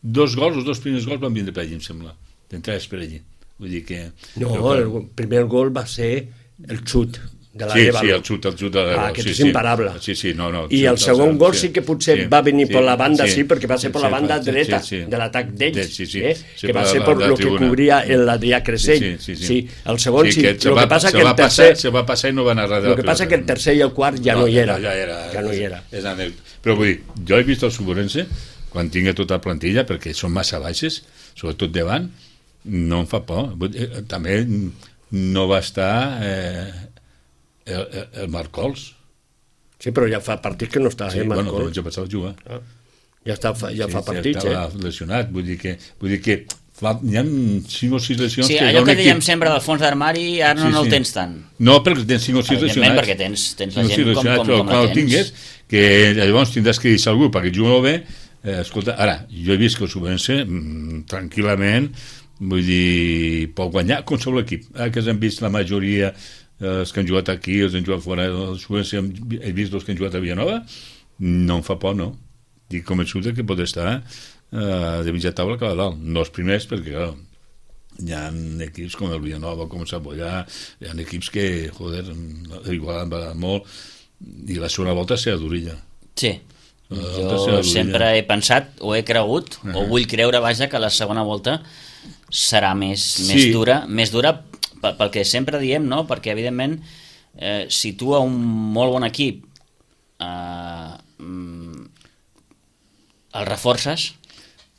[SPEAKER 3] dos gols, els dos primers gols van vindre per allí, em sembla, d'entrades per allí. Vull dir que...
[SPEAKER 2] No, que... el primer gol va ser el xut de la
[SPEAKER 3] sí,
[SPEAKER 2] Lévalo.
[SPEAKER 3] Sí, el xut, el xut de la Lévalo.
[SPEAKER 2] Ah, que
[SPEAKER 3] sí,
[SPEAKER 2] és imparable.
[SPEAKER 3] Sí, sí, no, no.
[SPEAKER 2] I el segon gol sí que potser
[SPEAKER 3] sí,
[SPEAKER 2] va venir
[SPEAKER 3] sí,
[SPEAKER 2] per la banda, sí,
[SPEAKER 3] sí,
[SPEAKER 2] perquè va ser per la banda
[SPEAKER 3] sí,
[SPEAKER 2] dreta
[SPEAKER 3] sí, sí.
[SPEAKER 2] de l'atac d'ells,
[SPEAKER 3] sí, sí,
[SPEAKER 2] eh?
[SPEAKER 3] sí,
[SPEAKER 2] que va
[SPEAKER 3] per
[SPEAKER 2] ser
[SPEAKER 3] la,
[SPEAKER 2] per
[SPEAKER 3] la
[SPEAKER 2] el que cobria l'Adrià Creixell.
[SPEAKER 3] Sí, sí, sí,
[SPEAKER 2] sí. El segon sí,
[SPEAKER 3] sí.
[SPEAKER 2] el que passa que el tercer...
[SPEAKER 3] Se va passar i no va anar res.
[SPEAKER 2] El que passa que el tercer i el quart ja no hi era.
[SPEAKER 3] Ja era.
[SPEAKER 2] Ja no hi era.
[SPEAKER 3] Però vull dir, jo he vist el Suborense, quan tingui tota la plantilla, perquè són massa baixes, sobretot davant, no em fa por. També no va estar... Eh, el, el Marc Cols
[SPEAKER 2] Sí, però ja fa partits que no està,
[SPEAKER 3] sí,
[SPEAKER 2] eh,
[SPEAKER 3] bueno,
[SPEAKER 2] Marcó?
[SPEAKER 3] però ja passava a jugar.
[SPEAKER 2] Ah. Ja, està, ja
[SPEAKER 3] sí,
[SPEAKER 2] fa partits,
[SPEAKER 3] ja estava
[SPEAKER 2] eh?
[SPEAKER 3] lesionat, vull dir que, vull dir que fa, hi ha cinc o sis lesions...
[SPEAKER 1] Sí,
[SPEAKER 3] que
[SPEAKER 1] allò que
[SPEAKER 3] equip...
[SPEAKER 1] dèiem sempre del fons d'armari, ara no,
[SPEAKER 3] sí,
[SPEAKER 1] no el
[SPEAKER 3] sí.
[SPEAKER 1] tens tant.
[SPEAKER 3] No, perquè tens cinc o sis
[SPEAKER 1] Evidentment,
[SPEAKER 3] lesionats.
[SPEAKER 1] perquè tens, tens la
[SPEAKER 3] cinc o
[SPEAKER 1] gent
[SPEAKER 3] sis
[SPEAKER 1] com, com,
[SPEAKER 3] però
[SPEAKER 1] com
[SPEAKER 3] quan
[SPEAKER 1] la
[SPEAKER 3] el
[SPEAKER 1] tens.
[SPEAKER 3] tingués, que llavors tindràs que deixar algú perquè jugui molt bé. Eh, escolta, ara, jo he vist que el Subvense mm, tranquil·lament, vull dir, pot guanyar qualsevol equip. Ara que s'han vist la majoria, eh, els que han jugat aquí, els han jugat fora, el Subvense he vist els que han jugat a Villanova, no em fa por, no. Dic convençut que pot estar eh, de mitja taula que a dalt. No els primers, perquè, clar, hi ha equips com el Villanova, com el Sabollà, hi ha equips que, joder, igual han badat molt, i la segona volta serà d'orilla.
[SPEAKER 1] Sí. Jo sempre he pensat, o he cregut, uh -huh. o vull creure, vaja, que la segona volta serà més, sí. més dura, més dura pel que sempre diem, no? Perquè, evidentment, eh, si tu a un molt bon equip eh, el reforces...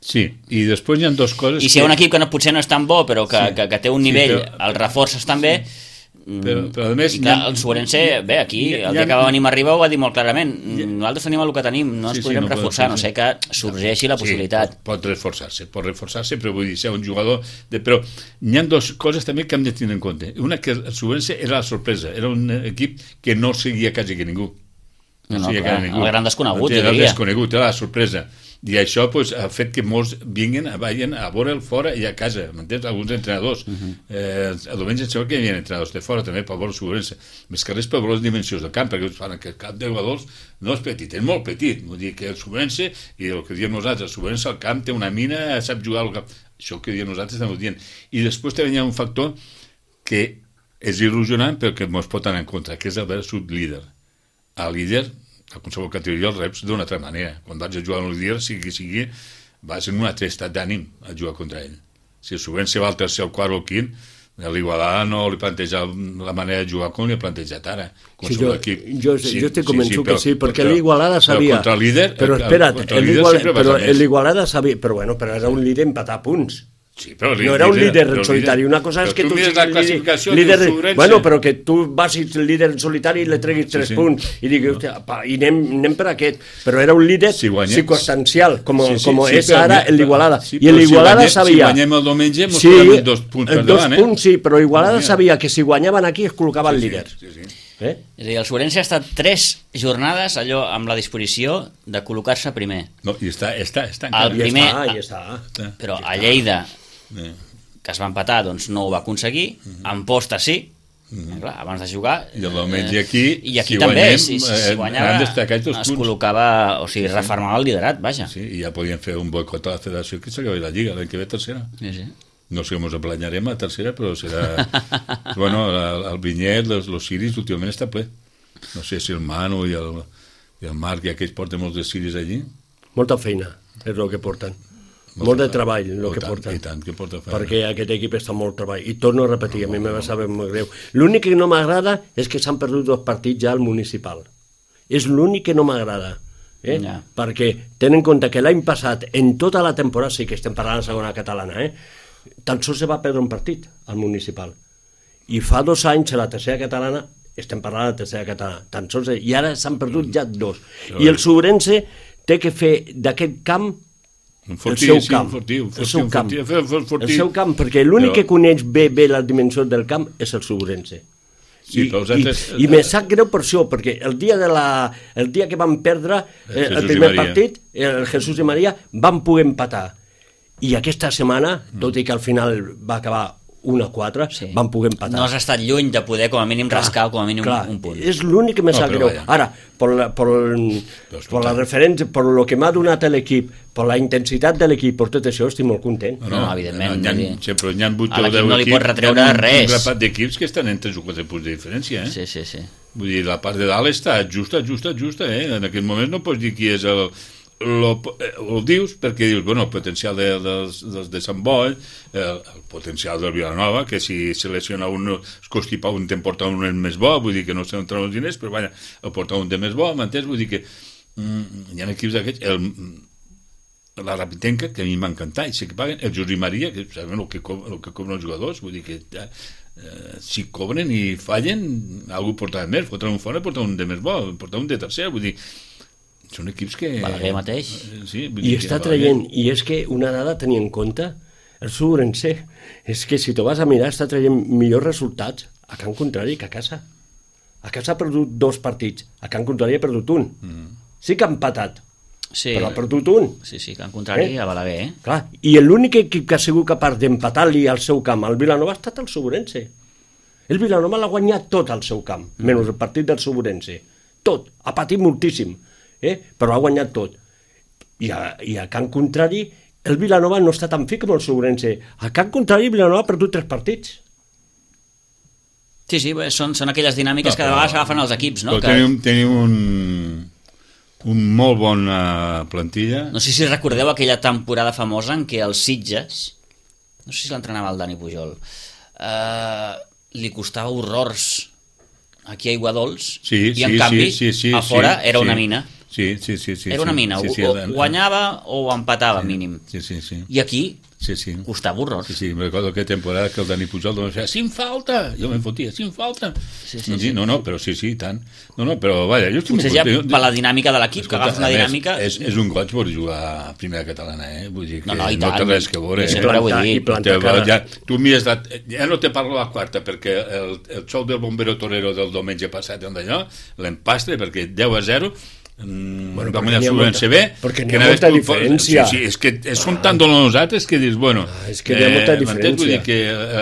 [SPEAKER 3] Sí, i després hi ha dues coses...
[SPEAKER 1] I si hi ha un equip que no, potser no és tan bo, però que, sí. que, que té un nivell, sí, però, el reforces també... Sí.
[SPEAKER 3] Però, però a més,
[SPEAKER 1] i clar, el Sobrense, bé, aquí ha, el dia que va venir Arriba ho va dir molt clarament, ha, nosaltres tenim el que tenim, no ens sí, podrem sí, no reforçar, pot, no sé que sorgeixi la possibilitat.
[SPEAKER 3] Sí, pot, pot reforçar-se, pot reforçar-se, però vull dir, ser un jugador... De, però hi ha dues coses també que hem de tenir en compte. Una, que el Sobrense era la sorpresa, era un equip que no seguia quasi que ningú.
[SPEAKER 1] No, no, clar, ningú. El gran desconegut,
[SPEAKER 3] el gran desconegut, era la sorpresa. I això pues, ha fet que molts vinguin a, vagin a veure'l fora i a casa, m'entens? Alguns entrenadors. Uh -huh. eh, el diumenge em sembla que hi havia entrenadors de fora també per veure el Sobrense. Més que res per veure les dimensions del camp, perquè fan que el camp de jugadors no és petit, és molt petit. Vull dir que el Sobrense, i el que diem nosaltres, el Sobrense al camp té una mina, sap jugar al camp. Això que diem nosaltres estem dient. I després també hi ha un factor que és il·lusionant però que ens pot anar en contra, que és el versut líder. El líder a qualsevol categoria els reps d'una altra manera. Quan vaig a jugar amb el líder, sigui sigui, vas en un altre estat d'ànim a jugar contra ell. Si el Sobrense va al tercer, el quart o el quint, l'Igualada no li planteja la manera de jugar com li ha plantejat ara.
[SPEAKER 2] Sí, jo, jo, sí, jo estic convençut sí, sí, però, que sí, perquè l'Igualada sabia...
[SPEAKER 3] Però contra el líder...
[SPEAKER 2] Però espera't, l'Igualada
[SPEAKER 3] més.
[SPEAKER 2] sabia... Però bueno, però era un líder empatar punts.
[SPEAKER 3] Sí, però
[SPEAKER 2] no era un líder en solitari, una cosa és que tu siguis
[SPEAKER 3] la classificació
[SPEAKER 2] líder, líder bueno, però que tu vagis líder en solitari i le treguis tres sí, sí. punts i diguis, hòstia, pa, i anem, anem per aquest, però era un líder si circunstancial, com, sí, sí, com sí, és sí, ara l'Igualada, sí, i l'Igualada
[SPEAKER 3] si
[SPEAKER 2] sabia...
[SPEAKER 3] Si guanyem el diumenge, mos
[SPEAKER 2] sí,
[SPEAKER 3] quedaven dos punts per
[SPEAKER 2] dos
[SPEAKER 3] davant, eh?
[SPEAKER 2] punts, sí, però l'Igualada sabia que si guanyaven aquí es col·locaven
[SPEAKER 3] sí,
[SPEAKER 2] líders.
[SPEAKER 3] Sí, sí, sí.
[SPEAKER 2] Eh?
[SPEAKER 1] És a dir, el Sobrense ha estat tres jornades allò amb la disposició de col·locar-se primer.
[SPEAKER 3] No, i està, està, està
[SPEAKER 1] encara. El primer,
[SPEAKER 2] I està, i està.
[SPEAKER 1] Però a Lleida... que es va empatar, doncs no ho va aconseguir, uh -huh. en posta sí, uh -huh. clar, abans de jugar...
[SPEAKER 3] I el diumenge aquí,
[SPEAKER 1] i aquí
[SPEAKER 3] si
[SPEAKER 1] també,
[SPEAKER 3] guanyem,
[SPEAKER 1] si, si, si guanyava, es col·locava, o sigui, sí, reformava el liderat, vaja.
[SPEAKER 3] Sí, i ja podien fer un boicot a la federació que s'acabi la Lliga, l'any que ve tercera.
[SPEAKER 1] Sí, sí.
[SPEAKER 3] No sé com ens aplanyarem a tercera, però serà... bueno, el, el Vinyet, els, els ciris, últimament està ple. No sé si el Manu i el, i el Marc i aquells porten molts de ciris allí.
[SPEAKER 2] Molta feina és el que porten. Molt, molt de treball el que
[SPEAKER 3] tant,
[SPEAKER 2] porten,
[SPEAKER 3] i tant, que porta
[SPEAKER 2] perquè aquest equip està molt treball i torno a repetir, no, a mi me va saber molt greu. L'únic que no m'agrada és que s'han perdut dos partits ja al municipal, és l'únic que no m'agrada, eh? Ja. Perquè tenen en compte que l'any passat en tota la temporada, sí que estem parlant de segona catalana, eh? tan sols se va perdre un partit al municipal i fa dos anys a la tercera catalana estem parlant de la tercera catalana tan sols, i ara s'han perdut ja dos i el Sobrense té que fer d'aquest camp
[SPEAKER 3] Fortí,
[SPEAKER 2] el seu camp,
[SPEAKER 3] sí, fortí, fortí,
[SPEAKER 2] el seu camp,
[SPEAKER 3] fortí, fortí.
[SPEAKER 2] el seu camp, perquè l'únic però... que coneix bé, bé les dimensions del camp és el Sobrense.
[SPEAKER 3] Sí,
[SPEAKER 2] I,
[SPEAKER 3] altres...
[SPEAKER 2] i, i me sap greu per això, perquè el dia, de la, el dia que vam perdre eh, el primer partit, el Jesús i Maria, vam poder empatar. I aquesta setmana, tot i que al final va acabar un a quatre, sí. van poder empatar.
[SPEAKER 1] No has estat lluny de poder com a mínim clar, rascar com a mínim clar, un punt.
[SPEAKER 2] És l'únic que me sap no, greu. Vaya. Ara, per la, per, per la referència, per lo que m'ha donat l'equip, per la intensitat de l'equip, per tot això, estic molt content.
[SPEAKER 1] No, no, evidentment.
[SPEAKER 3] No, hi ha, sempre hi ha vuit o deu
[SPEAKER 1] equips. No li pot retreure
[SPEAKER 3] hi ha un,
[SPEAKER 1] res.
[SPEAKER 3] un grapat d'equips que estan en tres o quatre punts de diferència. Eh?
[SPEAKER 1] Sí, sí, sí.
[SPEAKER 3] Vull dir, la part de dalt està justa, justa, justa. Eh? En aquest moment no pots dir qui és el... Lo, ho dius perquè dius, bueno, el potencial de, dels, dels de Sant Boi, el, el potencial del Vilanova, que si selecciona un, es constipa un, te'n porta un més bo, vull dir que no sé on treuen els diners, però vaja, el porta un de més bo, m'entens? Vull dir que mm, hi ha equips d'aquests, el, la Rapitenca, que a mi m'encanta, i sé que paguen, el José Maria, que saben el que, el que cobren els jugadors, vull dir que ja, eh, si cobren i fallen, algú portarà més, fotran un fora, portarà un de més bo, portarà un de tercer, vull dir, són equips que...
[SPEAKER 1] Balaguer mateix.
[SPEAKER 3] Sí,
[SPEAKER 2] I està traient, i és que una dada a tenir en compte, el Subrense, és que si t'ho vas a mirar, està traient millors resultats a Can Contrari que a casa. A casa ha perdut dos partits, a Can Contrari ha perdut un. Mm. Sí que ha empatat,
[SPEAKER 1] Sí.
[SPEAKER 2] però ha perdut un.
[SPEAKER 1] Sí, sí, que en contrari
[SPEAKER 2] Eh?
[SPEAKER 1] a Balaguer, eh?
[SPEAKER 2] Clar, i l'únic equip que ha sigut capaç d'empatar-li al seu camp al Vilanova ha estat el Subrense. El Vilanova l'ha guanyat tot al seu camp, mm. menys el partit del Subrense. Tot, ha patit moltíssim, eh? però ha guanyat tot. I a, i a Can Contrari, el Vilanova no està tan fi com el Subrense. A Can Contrari, el Vilanova ha perdut tres partits.
[SPEAKER 1] Sí, sí, bé, són, són aquelles dinàmiques
[SPEAKER 3] No,
[SPEAKER 1] que de vegades agafen els equips, no?
[SPEAKER 3] Però
[SPEAKER 1] Que...
[SPEAKER 3] tenim, tenim un, un molt bona plantilla.
[SPEAKER 1] No sé si recordeu aquella temporada famosa en què els Sitges, no sé si l'entrenava el Dani Pujol, eh, li costava horrors aquí a Aiguadols,
[SPEAKER 3] Sí,
[SPEAKER 1] i en
[SPEAKER 3] sí,
[SPEAKER 1] canvi
[SPEAKER 3] sí, sí, sí,
[SPEAKER 1] a fora
[SPEAKER 3] sí,
[SPEAKER 1] era
[SPEAKER 3] sí.
[SPEAKER 1] una mina.
[SPEAKER 3] Sí, sí, sí, sí.
[SPEAKER 1] Era una
[SPEAKER 3] sí,
[SPEAKER 1] mina,
[SPEAKER 3] sí,
[SPEAKER 1] o,
[SPEAKER 3] sí,
[SPEAKER 1] o
[SPEAKER 3] el-
[SPEAKER 1] guanyava o empatava
[SPEAKER 3] sí,
[SPEAKER 1] mínim.
[SPEAKER 3] Sí, sí, sí.
[SPEAKER 1] I aquí
[SPEAKER 3] Sí, sí.
[SPEAKER 1] costava horrors.
[SPEAKER 3] Sí, sí, me recordo aquella temporada que el Dani Pujol doncs feia, sin falta, jo me'n fotia, sin falta.
[SPEAKER 1] Sí, sí,
[SPEAKER 3] no,
[SPEAKER 1] sí.
[SPEAKER 3] no, no, però sí, sí, tant. No, no, però vaja, jo estic
[SPEAKER 1] Potser
[SPEAKER 3] molt
[SPEAKER 1] ja
[SPEAKER 3] content.
[SPEAKER 1] per la dinàmica de l'equip, que
[SPEAKER 3] Escolta,
[SPEAKER 1] agafa una
[SPEAKER 3] a més,
[SPEAKER 1] dinàmica...
[SPEAKER 3] És, és un goig per jugar a primera catalana, eh? Vull dir que
[SPEAKER 1] No, no, i
[SPEAKER 3] no
[SPEAKER 1] tant.
[SPEAKER 3] té res que veure.
[SPEAKER 1] I
[SPEAKER 3] Eh?
[SPEAKER 1] sempre ho he
[SPEAKER 2] plantar-
[SPEAKER 1] dit.
[SPEAKER 2] i plantar
[SPEAKER 3] Te-
[SPEAKER 2] cara.
[SPEAKER 3] ja, tu mires la, ja no te parlo la quarta perquè el, el xou del Bombero Torero del diumenge passat on d'allò, l'empastre perquè deu a zero mm,
[SPEAKER 2] Bueno,
[SPEAKER 3] va
[SPEAKER 2] perquè
[SPEAKER 3] guanyar
[SPEAKER 2] n'hi ha
[SPEAKER 3] Subren
[SPEAKER 2] molta-
[SPEAKER 3] C B
[SPEAKER 2] perquè n'hi
[SPEAKER 3] que
[SPEAKER 2] ha
[SPEAKER 3] anaves
[SPEAKER 2] molta
[SPEAKER 3] tu-
[SPEAKER 2] diferència.
[SPEAKER 3] sí, sí, és que són tan dolents nosaltres que dius, bueno
[SPEAKER 2] Ah, és que hi ha molta
[SPEAKER 3] m'entens?
[SPEAKER 2] diferència.
[SPEAKER 3] Vull dir que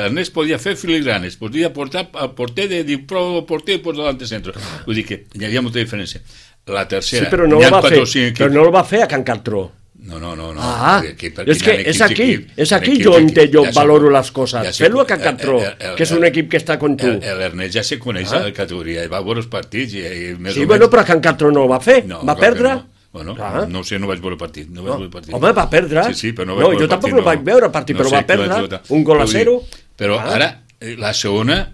[SPEAKER 3] Ernest podia fer filigranes, podia portar al porter de dir pro porter i posar delante centro, vull dir que hi havia molta diferència. La tercera,
[SPEAKER 2] Sí, però no,
[SPEAKER 3] n'hi
[SPEAKER 2] el
[SPEAKER 3] ha
[SPEAKER 2] va
[SPEAKER 3] quatre
[SPEAKER 2] fer,
[SPEAKER 3] o cinc
[SPEAKER 2] però
[SPEAKER 3] equips.
[SPEAKER 2] no el va fer a Can Cartró.
[SPEAKER 3] No, no, no, no.
[SPEAKER 2] Ah,
[SPEAKER 3] Aquí,
[SPEAKER 2] és
[SPEAKER 3] perquè
[SPEAKER 2] que
[SPEAKER 3] hi ha
[SPEAKER 2] és
[SPEAKER 3] equips,
[SPEAKER 2] aquí,
[SPEAKER 3] equips,
[SPEAKER 2] és aquí
[SPEAKER 3] equips,
[SPEAKER 2] jo on
[SPEAKER 3] equips,
[SPEAKER 2] jo
[SPEAKER 3] ja sé-
[SPEAKER 2] valoro les coses.
[SPEAKER 3] ja sé-
[SPEAKER 2] Fes-lo a Can
[SPEAKER 3] el-
[SPEAKER 2] Cartró,
[SPEAKER 3] el- el-
[SPEAKER 2] que és un equip que està con tu.
[SPEAKER 3] El- L'Ernest ja se coneix
[SPEAKER 2] Ah.
[SPEAKER 3] a la categoria, va veure els partits i, i més
[SPEAKER 2] Sí,
[SPEAKER 3] o
[SPEAKER 2] bueno,
[SPEAKER 3] menys...
[SPEAKER 2] però a Can Cartró no ho va fer,
[SPEAKER 3] No,
[SPEAKER 2] va
[SPEAKER 3] clar que
[SPEAKER 2] perdre.
[SPEAKER 3] no. Bueno,
[SPEAKER 2] Clar.
[SPEAKER 3] no ho sé, no vaig veure el partit. No vaig
[SPEAKER 2] No.
[SPEAKER 3] veure el partit.
[SPEAKER 2] Home, va perdre.
[SPEAKER 3] Sí, sí, però no,
[SPEAKER 2] No,
[SPEAKER 3] vaig veure
[SPEAKER 2] jo
[SPEAKER 3] el
[SPEAKER 2] tampoc
[SPEAKER 3] partit,
[SPEAKER 2] no vaig veure el partit, però
[SPEAKER 3] sé
[SPEAKER 2] va
[SPEAKER 3] qui vaig
[SPEAKER 2] perdre,
[SPEAKER 3] votar.
[SPEAKER 2] un gol a
[SPEAKER 3] Però vull
[SPEAKER 2] zero.
[SPEAKER 3] dir, Però
[SPEAKER 2] Ah.
[SPEAKER 3] ara, eh, la segona,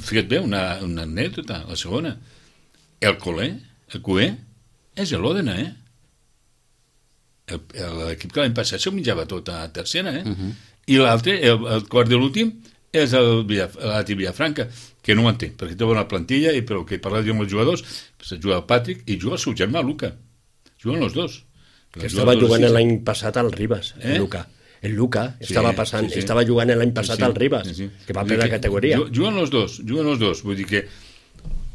[SPEAKER 3] fica't bé, una, una anècdota, la segona. El Colé, el Cué, és l'Òdena, eh? El- L'equip que l'any passat s'ho menjava tot a tercera, eh? Uh -huh. I l'altre, el, el quart de l'últim, és el Villaf- l'Ati Villafranca, que no ho entenc, perquè té bona plantilla i però que parla amb els jugadors, pues, juga el Patrick i juga el seu germà, Luca. Juguen els dos.
[SPEAKER 2] Que estava jugant l'any passat al Ribas, el
[SPEAKER 3] Eh?
[SPEAKER 2] Luca. El Luca
[SPEAKER 3] Sí,
[SPEAKER 2] estava passant,
[SPEAKER 3] sí, sí.
[SPEAKER 2] estava jugant l'any passat
[SPEAKER 3] Sí, sí,
[SPEAKER 2] al Ribas,
[SPEAKER 3] sí, sí.
[SPEAKER 2] que va
[SPEAKER 3] Vull
[SPEAKER 2] per
[SPEAKER 3] dir
[SPEAKER 2] la categoria.
[SPEAKER 3] ju- Juguen els dos, juguen els dos. Vull dir que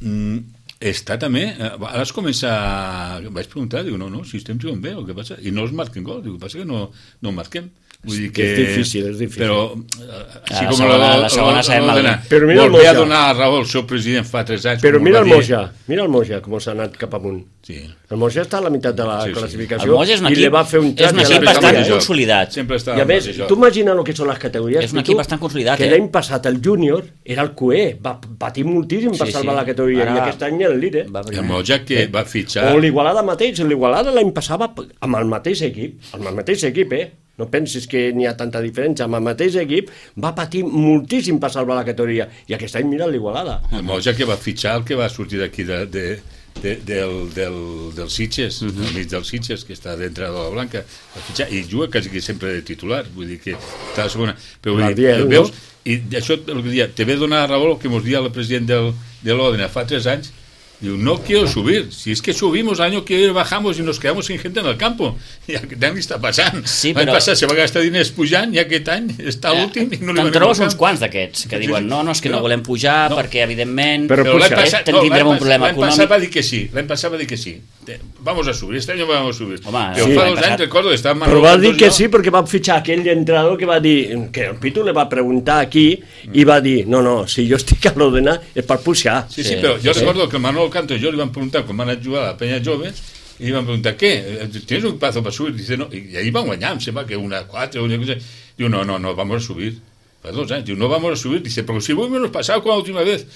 [SPEAKER 3] mm, està també... eh, Ara es comença... Vaig preguntar, diu, no, no, si estem jugant bé, el que passa... I no es marquen gols, diu, el que passa que no, no marquem. Vull dir que...
[SPEAKER 2] És difícil, és difícil.
[SPEAKER 3] Però, eh,
[SPEAKER 1] A la segona- la segona sabem
[SPEAKER 3] la,
[SPEAKER 1] mal.
[SPEAKER 3] la,
[SPEAKER 2] Però mira el
[SPEAKER 3] volia
[SPEAKER 2] Moja.
[SPEAKER 3] donar a raó al seu president fa tres anys.
[SPEAKER 2] Però
[SPEAKER 3] com
[SPEAKER 2] mira
[SPEAKER 3] va
[SPEAKER 2] el
[SPEAKER 3] dir.
[SPEAKER 2] Moja, mira el Moja, com s'ha anat cap amunt.
[SPEAKER 3] Sí.
[SPEAKER 2] El Moja està a la meitat de la
[SPEAKER 3] Sí, sí.
[SPEAKER 2] classificació
[SPEAKER 1] El Moja és un
[SPEAKER 2] i
[SPEAKER 1] equip,
[SPEAKER 2] li va fer un
[SPEAKER 1] és
[SPEAKER 2] trat
[SPEAKER 1] un
[SPEAKER 2] i a
[SPEAKER 1] equip
[SPEAKER 2] la
[SPEAKER 1] bastant
[SPEAKER 2] categoria.
[SPEAKER 1] consolidat.
[SPEAKER 3] Sempre està
[SPEAKER 2] I a
[SPEAKER 3] al
[SPEAKER 2] més,
[SPEAKER 3] mateix lloc.
[SPEAKER 2] tu imagina el que són les categories.
[SPEAKER 1] És un
[SPEAKER 2] Pitu,
[SPEAKER 1] equip bastant consolidat,
[SPEAKER 2] que
[SPEAKER 1] eh?
[SPEAKER 2] l'any passat el júnior era el Cué, va patir moltíssim per
[SPEAKER 1] Sí,
[SPEAKER 2] salvar
[SPEAKER 1] sí.
[SPEAKER 2] la categoria,
[SPEAKER 1] Ara
[SPEAKER 2] i aquest any el líder.
[SPEAKER 1] va
[SPEAKER 3] El
[SPEAKER 1] primer.
[SPEAKER 3] Moja que va fitxar...
[SPEAKER 2] O l'Igualada mateix, l'Igualada l'any passat va amb el mateix equip, amb el mateix equip, eh? No pensis que n'hi ha tanta diferència, amb el mateix equip va patir moltíssim per salvar la categoria, i aquest any mira l'Igualada.
[SPEAKER 3] El Moja que va fitxar el que va sortir d'aquí de, de, de, del, del, del Sitges, uh -huh. al mig del Sitges, que està dintre de la Blanca, va fitxar, i juga quasi que sempre de titular, vull dir que està a la segona. Però vull dir,
[SPEAKER 2] Gabriel,
[SPEAKER 3] veus,
[SPEAKER 2] no?
[SPEAKER 3] i això el que dia, te ve donar raó el que ens dia el president del, de l'Òdena fa tres anys. Diu, no quiero subir, si es que subimos año que bajamos y nos quedamos sin gente en el campo. I aquest any està passant.
[SPEAKER 1] Sí,
[SPEAKER 3] L'any
[SPEAKER 1] però-
[SPEAKER 3] passat se va gastar diners pujant i aquest any està
[SPEAKER 1] Eh,
[SPEAKER 3] l'últim i no li
[SPEAKER 1] Te'n
[SPEAKER 3] va
[SPEAKER 1] trobes
[SPEAKER 3] anar al
[SPEAKER 1] uns
[SPEAKER 3] camp.
[SPEAKER 1] quants d'aquests que
[SPEAKER 3] Sí,
[SPEAKER 1] diuen
[SPEAKER 3] sí.
[SPEAKER 1] no, no, és que no,
[SPEAKER 3] No.
[SPEAKER 1] volem pujar
[SPEAKER 3] No.
[SPEAKER 1] perquè evidentment
[SPEAKER 2] Però
[SPEAKER 3] Però l'any
[SPEAKER 2] puja,
[SPEAKER 3] passat,
[SPEAKER 1] eh?
[SPEAKER 3] no,
[SPEAKER 1] Tindrem
[SPEAKER 3] l'any
[SPEAKER 1] un problema
[SPEAKER 3] pas- l'any passat
[SPEAKER 1] econòmic.
[SPEAKER 3] va dir que sí, l'any passat va dir que sí. Te- Vamos a subir, este año vamos a subir.
[SPEAKER 1] Home,
[SPEAKER 3] Però
[SPEAKER 1] sí,
[SPEAKER 3] fa
[SPEAKER 1] l'any
[SPEAKER 3] dos anys,
[SPEAKER 1] passat-
[SPEAKER 3] recordo, estava
[SPEAKER 2] Però
[SPEAKER 3] Manolo
[SPEAKER 2] va
[SPEAKER 3] Cantos
[SPEAKER 2] dir que
[SPEAKER 3] i jo.
[SPEAKER 2] sí perquè va fitxar aquell entrenador que va dir, que el Pitu li va preguntar aquí i va dir, no, no, si jo estic a l'Òdena és per pujar.
[SPEAKER 3] Sí,
[SPEAKER 1] Sí,
[SPEAKER 3] sí, però jo
[SPEAKER 1] sí.
[SPEAKER 3] recordo que el Manolo Cantos i jo li van preguntar quan van anar a jugar a la Peña Jove i li van preguntar, què? ¿Tienes un plazo para subir? Dice, no. I ahí van guanyar, em sembla que una quatre o una cosa. Diu, no, no, no, vamos a subir. Fa dos anys. Diu, no vamos a subir. Dice, pero si hemos pasado con la última vez.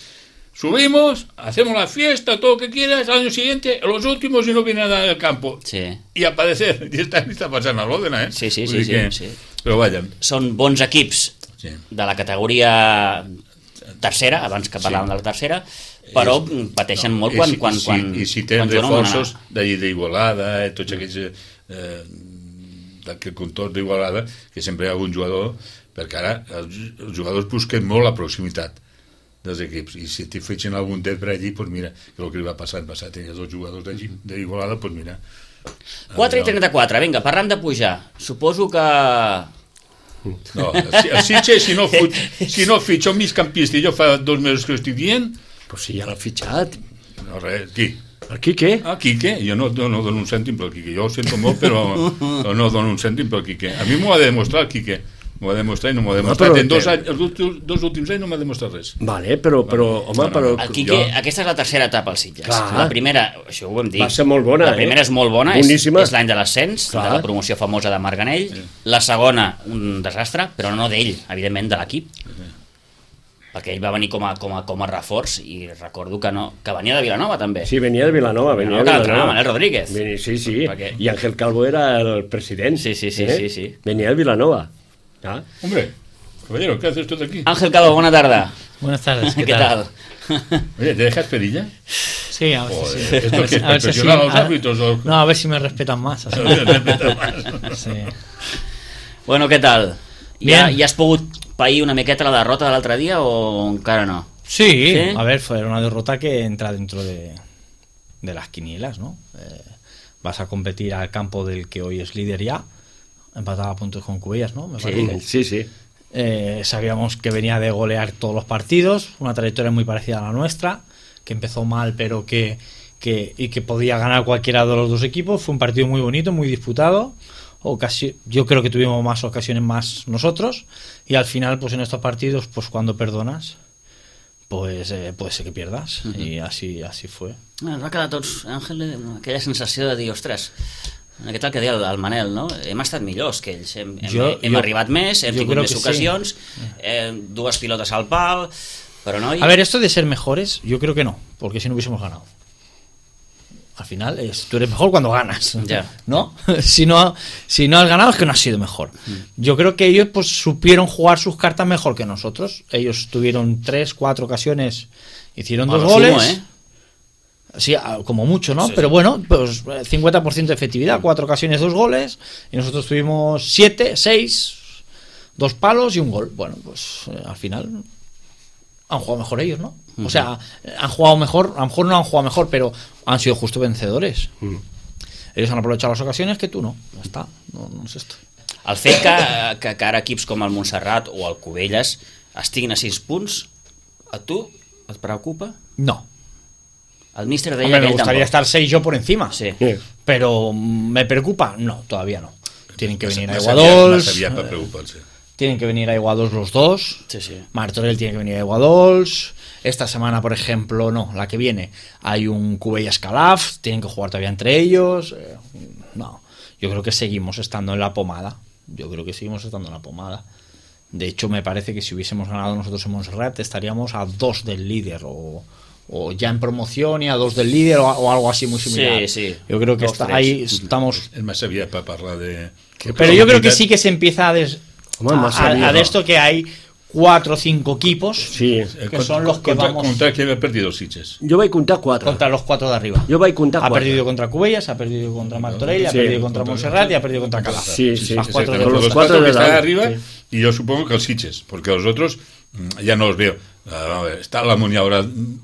[SPEAKER 3] Subimos, hacemos la fiesta, todo lo que quieras, al año siguiente, los últimos y no viene nada del campo.
[SPEAKER 1] Sí.
[SPEAKER 3] Y a padecer. Y esta está pasando a l'Òdena, eh?
[SPEAKER 1] Sí, sí,
[SPEAKER 3] Vull
[SPEAKER 1] sí,
[SPEAKER 3] dir
[SPEAKER 1] sí,
[SPEAKER 3] que-
[SPEAKER 1] sí.
[SPEAKER 3] Però vaja,
[SPEAKER 1] Són bons equips
[SPEAKER 3] sí.
[SPEAKER 1] de la categoria tercera, abans que parlàvem
[SPEAKER 3] Sí.
[SPEAKER 1] de la tercera, però pateixen molt
[SPEAKER 3] I
[SPEAKER 1] quan,
[SPEAKER 3] si,
[SPEAKER 1] quan,
[SPEAKER 3] i si,
[SPEAKER 1] quan,
[SPEAKER 3] i si tenen
[SPEAKER 1] quan juguen una-
[SPEAKER 3] reforços d'allí d'Igualada, eh, tots aquells eh, d'aquest contorn d'Igualada, que sempre hi ha algun jugador, perquè ara els, els jugadors busquen molt la proximitat dels equips, i si t'hi fetxen algun det per allí, doncs mira, que el que li va passar en passat, tenia dos jugadors d'Igualada, doncs mira.
[SPEAKER 1] quatre i trenta-quatre, vinga, parlant de pujar, suposo que...
[SPEAKER 3] No, el Sitges, si no, fut, si no fitxa un migcampista, i jo fa dos mesos que ho estic dient...
[SPEAKER 2] Però si ja l'ha fitxat.
[SPEAKER 3] No, res, qui?
[SPEAKER 2] El Quique?
[SPEAKER 3] Ah, Quique, jo no, no, no dono un cèntim pel Quique, jo ho sento molt, però no, no dono un cèntim pel Quique. A mi m'ho ha de demostrar el Quique, m'ho ha de demostrar i no m'ho ha demostrat. En dos, anys, els últims, dos últims anys no m'ha demostrat res.
[SPEAKER 2] Vale, però, però home,
[SPEAKER 3] no, no,
[SPEAKER 2] però...
[SPEAKER 1] El Quique,
[SPEAKER 3] jo...
[SPEAKER 1] aquesta és la tercera etapa als Sitges.
[SPEAKER 2] Clar.
[SPEAKER 1] La primera, això ho vam dir,
[SPEAKER 2] Va ser molt bona,
[SPEAKER 1] la primera
[SPEAKER 2] eh?
[SPEAKER 1] és molt bona, és,
[SPEAKER 2] Boníssima.
[SPEAKER 1] és l'any de l'ascens, de la promoció famosa de Marganell. Sí. La segona, un desastre, però no d'ell, evidentment de l'equip. Sí. Perquè ell va venir com a, com a, com a reforç, i recordo que no que venia de Vilanova també.
[SPEAKER 2] Sí, venia de Vilanova, venia
[SPEAKER 1] no,
[SPEAKER 2] de Vilanova.
[SPEAKER 1] Manel Rodríguez.
[SPEAKER 2] Venia, sí, sí,
[SPEAKER 1] Perquè...
[SPEAKER 2] i Ángel Calvo era el president.
[SPEAKER 1] Sí, sí, sí,
[SPEAKER 2] eh?
[SPEAKER 1] sí, sí.
[SPEAKER 2] Venia de Vilanova. Ah.
[SPEAKER 3] Hombre, caballero, ¿qué haces tú aquí?
[SPEAKER 1] Ángel Calvo, buena tarde.
[SPEAKER 4] Buenas tardes, ¿qué,
[SPEAKER 1] ¿Qué tal?
[SPEAKER 4] tal?
[SPEAKER 3] Oye, ¿te dejas perilla?
[SPEAKER 4] Sí, a ver
[SPEAKER 3] Joder,
[SPEAKER 4] si sí.
[SPEAKER 3] ¿esto que es
[SPEAKER 4] A ver si
[SPEAKER 3] profesional
[SPEAKER 4] sí.
[SPEAKER 3] a los árbitros? O...
[SPEAKER 4] No, a ver si me respetan más. Así. Sí.
[SPEAKER 1] Bueno, què tal?
[SPEAKER 4] Bien.
[SPEAKER 1] Ja, ja has pogut pair una miqueta la derrota de l'altre dia o encara no?
[SPEAKER 4] Sí,
[SPEAKER 1] ¿Sí?
[SPEAKER 4] a ver, fue una derrota que entra dentro de, de las quinielas, ¿no? Eh, vas a competir al campo del que hoy es líder ya, empatado a puntos con Cubellas, ¿no? Me parece.
[SPEAKER 2] Sí, sí.
[SPEAKER 4] Eh, sabíamos que venía de golear todos los partidos, una trayectoria muy parecida a la nuestra, que empezó mal pero que, que, y que podía ganar cualquiera de los dos equipos. Fue un partido muy bonito, muy disputado. Ocasi- yo creo que tuvimos más ocasiones más nosotros, y al final pues en estos partidos pues cuando perdonas pues eh, puede ser que pierdas. Uh-huh. I así, así fue.
[SPEAKER 1] Ens va quedar tots, Àngel, aquella sensació de dir, ostres, en aquest el que deia el, el Manel, no? Hem estat millors que ells, hem, hem,
[SPEAKER 4] Jo-
[SPEAKER 1] hem
[SPEAKER 4] jo-
[SPEAKER 1] arribat més, hem
[SPEAKER 4] jo
[SPEAKER 1] tingut
[SPEAKER 4] creo
[SPEAKER 1] més
[SPEAKER 4] que sí.
[SPEAKER 1] ocasions, eh, dues pilotes al pal, però no...
[SPEAKER 4] A ver, esto de ser mejores, yo creo que no, porque si no hubiésemos ganado. Al final, es, tú eres mejor cuando ganas,
[SPEAKER 1] Ya.
[SPEAKER 4] ¿no? Si no, si no has ganado es que no has sido mejor. Yo creo que ellos pues supieron jugar sus cartas mejor que nosotros. Ellos tuvieron tres, cuatro ocasiones, hicieron
[SPEAKER 1] A
[SPEAKER 4] dos
[SPEAKER 1] lo
[SPEAKER 4] goles.
[SPEAKER 1] sumo, ¿eh?
[SPEAKER 4] Sí, a- como mucho, ¿no?
[SPEAKER 1] Sí,
[SPEAKER 4] Pero
[SPEAKER 1] sí.
[SPEAKER 4] bueno, pues eh, cincuenta por ciento de efectividad, cuatro ocasiones, dos goles, y nosotros tuvimos siete, seis, dos palos y un gol. Bueno, pues eh, al final han jugado mejor ellos, ¿no? O sea, han jugado mejor, a lo mejor no han jugado mejor, pero han sido justo vencedores.
[SPEAKER 2] Mm.
[SPEAKER 4] Ellos han aprovechado las ocasiones que tú no. Ya está, no, no es esto.
[SPEAKER 1] El fet que, que, que ara equips com el Montserrat o el Cubelles estiguin a sis punts, a tu et preocupa?
[SPEAKER 4] No.
[SPEAKER 1] El míster deia
[SPEAKER 4] Hombre,
[SPEAKER 1] que
[SPEAKER 4] me
[SPEAKER 1] ell
[SPEAKER 4] gustaría
[SPEAKER 1] tampoc.
[SPEAKER 4] estar seis yo por encima.
[SPEAKER 1] Sí.
[SPEAKER 2] Sí.
[SPEAKER 4] Pero ¿me preocupa? No, todavía no. Tienen que venir a
[SPEAKER 3] Más aviat-
[SPEAKER 4] Iguadols.
[SPEAKER 3] más aviat per preocupar-se.
[SPEAKER 4] Tienen que venir a Iguadols los dos.
[SPEAKER 1] Sí, sí.
[SPEAKER 4] Martorell tiene que venir a Iguadols. Esta semana, por ejemplo, no, la que viene, hay un Cubellas Calaf, tienen que jugar todavía entre ellos. Eh, no, yo creo que seguimos estando en la pomada. Yo creo que seguimos estando en la pomada. De hecho, me parece que si hubiésemos ganado nosotros en Montserrat, estaríamos a dos del líder, o, o ya en promoción y a dos del líder, o, o algo así muy similar.
[SPEAKER 1] Sí, sí.
[SPEAKER 4] Yo creo que
[SPEAKER 1] Dos,
[SPEAKER 4] está,
[SPEAKER 1] tres.
[SPEAKER 4] ahí estamos.
[SPEAKER 3] És massa aviat per parlar de...
[SPEAKER 4] Pero yo creo que sí que se empieza a, des,
[SPEAKER 2] Hombre, más
[SPEAKER 4] a,
[SPEAKER 2] serio,
[SPEAKER 4] a de
[SPEAKER 2] ¿no?
[SPEAKER 4] esto que hay cuatro o cinco equipos
[SPEAKER 2] Sí.
[SPEAKER 4] que son los que
[SPEAKER 3] contra,
[SPEAKER 4] vamos
[SPEAKER 3] Contra qui ha perdit els Sitges?
[SPEAKER 2] Jo vaig comptar quatre.
[SPEAKER 4] contra los cuatro de arriba.
[SPEAKER 2] Jo vaig comptar
[SPEAKER 4] Ha
[SPEAKER 2] quatre.
[SPEAKER 4] perdido contra Cubellas, ha perdido contra Martorell, ha
[SPEAKER 2] Sí.
[SPEAKER 4] perdido contra Montserrat y ha perdido contra Calaf.
[SPEAKER 2] Sí, sí.
[SPEAKER 4] Las cuatro
[SPEAKER 3] exactamente,
[SPEAKER 4] de
[SPEAKER 2] los
[SPEAKER 3] los
[SPEAKER 2] cuatro
[SPEAKER 3] cuatro
[SPEAKER 2] de
[SPEAKER 3] que están
[SPEAKER 2] dalt,
[SPEAKER 3] arriba,
[SPEAKER 2] sí.
[SPEAKER 3] y yo supongo que els Sitges, porque los otros mm, ya no los veo. A ver, está la Muña ahora mm,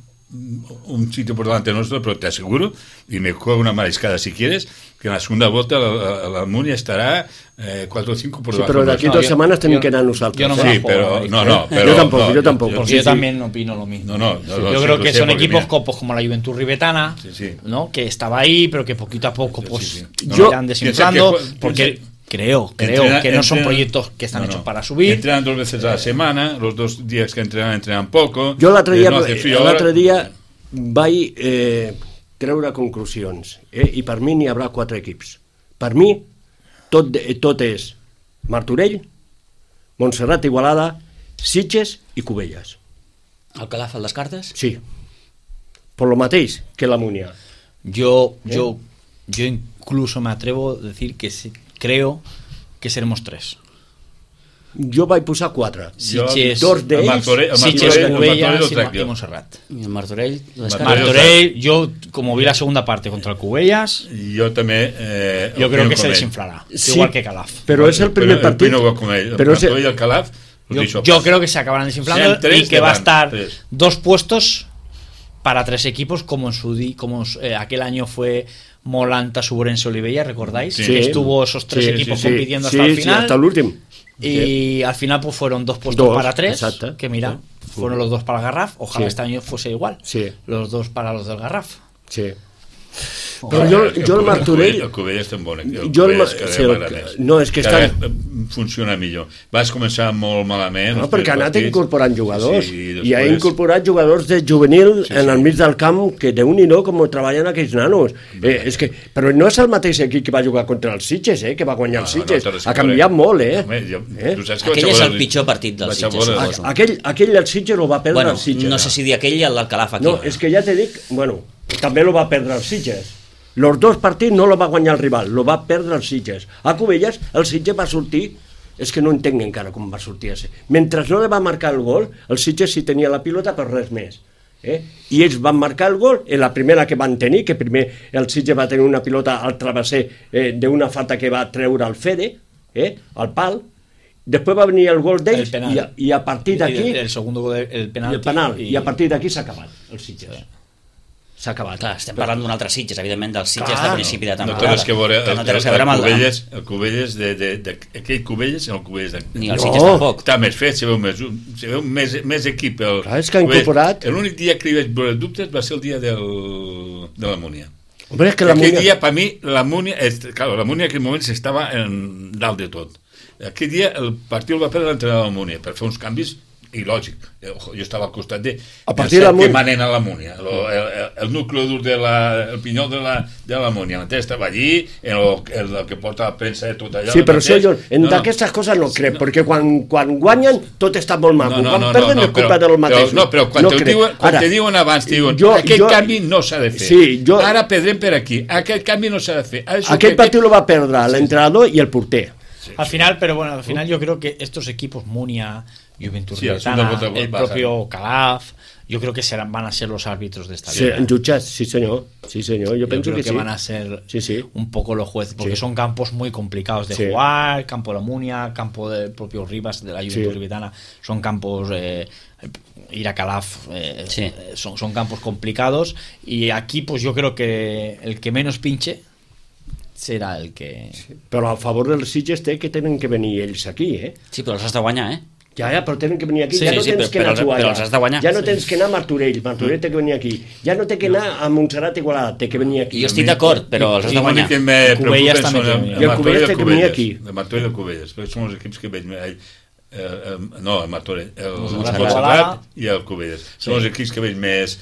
[SPEAKER 3] un sitio por delante nuestro, pero te aseguro, y me juego una mariscada si quieres, que en la segunda vuelta la, la, la Muña estará eh, cuatro o cinco por
[SPEAKER 2] Sí,
[SPEAKER 3] debajo.
[SPEAKER 2] però d'aquí
[SPEAKER 4] No,
[SPEAKER 2] dues
[SPEAKER 4] jo-
[SPEAKER 2] setmanes tenim
[SPEAKER 4] jo-
[SPEAKER 2] que anar nosaltres.
[SPEAKER 4] jo no me
[SPEAKER 3] Sí,
[SPEAKER 4] la juego,
[SPEAKER 3] pero...
[SPEAKER 4] Maric,
[SPEAKER 3] No,
[SPEAKER 4] ¿eh?
[SPEAKER 3] no, pero...
[SPEAKER 2] Yo tampoco,
[SPEAKER 3] no,
[SPEAKER 2] yo tampoco.
[SPEAKER 4] Porque
[SPEAKER 2] Sí,
[SPEAKER 4] yo
[SPEAKER 2] sí.
[SPEAKER 4] también opino lo mismo.
[SPEAKER 3] No, no, no, lo
[SPEAKER 4] Yo
[SPEAKER 3] sé,
[SPEAKER 4] creo
[SPEAKER 3] lo
[SPEAKER 4] que
[SPEAKER 3] sé,
[SPEAKER 4] son
[SPEAKER 3] porque
[SPEAKER 4] equipos
[SPEAKER 3] mira-
[SPEAKER 4] copos como la Juventud Ribetana,
[SPEAKER 3] Sí, sí.
[SPEAKER 4] ¿no? Que estaba ahí, pero que poquito a poco pues
[SPEAKER 3] Sí, sí.
[SPEAKER 4] no,
[SPEAKER 2] Yo-
[SPEAKER 4] irán desinflando,
[SPEAKER 3] piensa que-
[SPEAKER 4] porque
[SPEAKER 3] piensa-
[SPEAKER 4] creo, creo
[SPEAKER 3] Entrena-
[SPEAKER 4] que no son
[SPEAKER 3] entrena-
[SPEAKER 4] proyectos que están
[SPEAKER 3] no,
[SPEAKER 4] hechos
[SPEAKER 3] no.
[SPEAKER 4] para subir.
[SPEAKER 3] Entrenan dos veces a la semana, los dos días que entrenan, entrenan poco.
[SPEAKER 2] Jo l'altre
[SPEAKER 3] eh,
[SPEAKER 2] dia,
[SPEAKER 3] no hace frío
[SPEAKER 2] l'altre
[SPEAKER 3] ahora.
[SPEAKER 2] dia vaig eh, treure conclusions, eh? I per mi n'hi haurà quatre equips. Per mi tot, tot és Martorell, Montserrat, Igualada, Sitges i Cubelles.
[SPEAKER 1] El Calaf el descartes?
[SPEAKER 2] Sí, por lo mateix que la Múnia.
[SPEAKER 4] Yo, yo, yo incluso me atrevo a decir que sí, creo que seremos tres.
[SPEAKER 2] Jo vaig posar quatre.
[SPEAKER 4] Sitges,
[SPEAKER 2] dos d'ells,
[SPEAKER 4] Sitges, Cubellas y Montserrat.
[SPEAKER 1] Y el Martorell,
[SPEAKER 4] Martorell, yo como vi la segunda parte contra el Cubellas,
[SPEAKER 3] yo también eh,
[SPEAKER 4] yo creo que se desinflará,
[SPEAKER 2] sí,
[SPEAKER 4] igual que Calaf.
[SPEAKER 2] Pero es el primer
[SPEAKER 3] pero,
[SPEAKER 2] partido.
[SPEAKER 3] El con él.
[SPEAKER 2] Pero
[SPEAKER 3] el Martorell y el Calaf,
[SPEAKER 4] yo, yo creo que se acabarán desinflando y que va a estar tres. dos puestos para tres equipos, como en su di, como eh, aquel año fue Molanta, Suburense, Olivella, ¿recordáis?
[SPEAKER 2] Sí.
[SPEAKER 4] Que estuvo esos tres
[SPEAKER 2] sí,
[SPEAKER 4] equipos
[SPEAKER 2] sí, sí.
[SPEAKER 4] compitiendo
[SPEAKER 2] sí,
[SPEAKER 4] hasta el
[SPEAKER 2] sí,
[SPEAKER 4] final.
[SPEAKER 2] hasta el último.
[SPEAKER 4] Y
[SPEAKER 2] sí.
[SPEAKER 4] al final pues fueron dos puestos
[SPEAKER 2] dos,
[SPEAKER 4] para tres,
[SPEAKER 2] exacto.
[SPEAKER 4] que mira,
[SPEAKER 2] sí.
[SPEAKER 4] fueron los dos para el Garraf. Ojalá
[SPEAKER 2] sí.
[SPEAKER 4] este año fuese igual.
[SPEAKER 2] Sí.
[SPEAKER 4] Los dos para los del Garraf.
[SPEAKER 2] Sí. Però jo, jo el Martorell...
[SPEAKER 3] El Cubelles té un bon equip.
[SPEAKER 2] Jo el, sí, el, no, és que
[SPEAKER 3] cada
[SPEAKER 2] estan...
[SPEAKER 3] funciona millor. Vas començar molt malament.
[SPEAKER 2] No, perquè ha anat
[SPEAKER 3] partits.
[SPEAKER 2] incorporant jugadors.
[SPEAKER 3] Sí, i,
[SPEAKER 2] I ha incorporat jugadors de juvenil sí, sí. en el mig del camp, que déu-n'hi-do com treballen aquells nanos. Eh, és que, però no és el mateix equip que va jugar contra els Sitges, eh, que va guanyar els Sitges. No, no, ha canviat molt, eh?
[SPEAKER 3] Home, jo,
[SPEAKER 2] eh?
[SPEAKER 1] Aquell és el pitjor partit dels Sitges.
[SPEAKER 2] A, aquell, aquell del Sitges el va perdre
[SPEAKER 1] bueno,
[SPEAKER 2] els Sitges.
[SPEAKER 1] No sé si dir aquell i el del Calaf aquí.
[SPEAKER 2] No, és que ja t'he dit, bueno, també lo va perdre els Sitges. Los dos partits no lo va guanyar el rival, lo va perdre els Sitges. A Cubelles el Sitges va sortir, és que no entenc encara com va sortir ese. Mentre no li va marcar el gol, el Sitges sí tenia la pilota per res més. Eh? I ells van marcar el gol en la primera que van tenir, que primer el Sitges va tenir una pilota al travesser eh, d'una falta que va treure el Fede, eh, al pal. Després va venir el gol d'ells i, a, i a partir d'aquí
[SPEAKER 4] el, el segundo gol, el penalti,
[SPEAKER 2] el penal,
[SPEAKER 4] i...
[SPEAKER 2] i a partir d'aquí s'ha acabat el Sitges. Sí. S'ha acabat.
[SPEAKER 1] Clar, estem parlant d'un altre Sitges, evidentment, dels Sitges
[SPEAKER 2] Clar,
[SPEAKER 1] de principi de temporada.
[SPEAKER 3] No té res que veure,
[SPEAKER 1] que no té res
[SPEAKER 3] el,
[SPEAKER 1] a veure amb el,
[SPEAKER 3] Cubelles, el Cubelles de, de, de, aquell Cubelles el Cubelles de...
[SPEAKER 1] Ni el
[SPEAKER 2] no.
[SPEAKER 1] Sitges tampoc.
[SPEAKER 3] Està més fet, se veu més, se veu més, més equip. El,
[SPEAKER 2] Clar, és que ha incorporat...
[SPEAKER 3] L'únic dia que li vaig veure dubtes va ser el dia del, de la Múnia.
[SPEAKER 2] Hombre, és que la
[SPEAKER 3] aquell
[SPEAKER 2] Múnia...
[SPEAKER 3] dia, per mi, la Múnia... Claro, la Múnia en aquell moment estava en dalt de tot. Aquell dia el partit el va perdre l'entrenador de la Múnia per fer uns canvis i lògic, jo estava al costat de
[SPEAKER 2] a partir de la
[SPEAKER 3] que manen a la Múnia el, el, el nucli dur de la, el pinyol de la, de la Múnia estava allí, en el, el, el que porta la premsa de tot allò
[SPEAKER 2] sí, però això jo, en
[SPEAKER 3] no,
[SPEAKER 2] d'aquestes coses no crec,
[SPEAKER 3] no,
[SPEAKER 2] perquè quan, quan guanyen tot està molt maco,
[SPEAKER 3] no, no,
[SPEAKER 2] quan
[SPEAKER 3] no,
[SPEAKER 2] perden
[SPEAKER 3] no,
[SPEAKER 2] és culpa del mateix
[SPEAKER 3] però, no, però quan,
[SPEAKER 2] no
[SPEAKER 3] te, diuen, quan Ara, te diuen abans te diuen,
[SPEAKER 2] jo,
[SPEAKER 3] aquest
[SPEAKER 2] jo,
[SPEAKER 3] canvi no s'ha de fer
[SPEAKER 2] sí, jo,
[SPEAKER 3] ara perdrem per aquí, aquest canvi no s'ha de fer
[SPEAKER 2] aquell partit lo va perdre l'entrenador i el porter
[SPEAKER 4] sí, al final, pero bueno, al final yo creo que estos equipos Munia, Juventud
[SPEAKER 3] sí,
[SPEAKER 4] Ribetana, el, el propio Calaf, yo creo que serán, van a ser los árbitros de esta
[SPEAKER 2] sí,
[SPEAKER 4] liga.
[SPEAKER 2] Jutges, sí señor, sí señor, yo, yo pienso
[SPEAKER 4] creo
[SPEAKER 2] que,
[SPEAKER 4] que
[SPEAKER 2] sí.
[SPEAKER 4] van a ser
[SPEAKER 2] sí, sí.
[SPEAKER 4] un poco los jueces, porque
[SPEAKER 2] sí.
[SPEAKER 4] son campos muy complicados de
[SPEAKER 2] sí.
[SPEAKER 4] jugar, campo de la Munia, campo del propio Rivas, de la Juventud
[SPEAKER 2] sí.
[SPEAKER 4] Ribetana, son campos... Eh, ir a Calaf eh,
[SPEAKER 1] sí.
[SPEAKER 4] son, son campos complicados y aquí pues yo creo que el que menos pinche serà el que...
[SPEAKER 2] Sí, però a favor dels Sitges té que tenen que venir ells aquí, eh?
[SPEAKER 1] Sí, però els has de guanyar, eh?
[SPEAKER 2] Ja, ja, però tenen que venir aquí,
[SPEAKER 1] sí,
[SPEAKER 2] ja no
[SPEAKER 1] sí,
[SPEAKER 2] tens
[SPEAKER 1] sí,
[SPEAKER 2] que anar a jugar
[SPEAKER 1] però els has de guanyar.
[SPEAKER 2] Ja no tens que anar a Martorell, Martorell té que venir aquí. Ja no té que anar a Montserrat Igualada, té que venir aquí.
[SPEAKER 1] Jo estic d'acord, però els has de guanyar.
[SPEAKER 3] Cubelles també
[SPEAKER 2] té que venir. I el Cubelles té que venir aquí.
[SPEAKER 3] El Martorell i el Cubelles, perquè són els equips que veig... Eh, eh, no, el Martorell, el
[SPEAKER 4] Montserrat
[SPEAKER 3] i el Cubelles. Són els equips que veig més...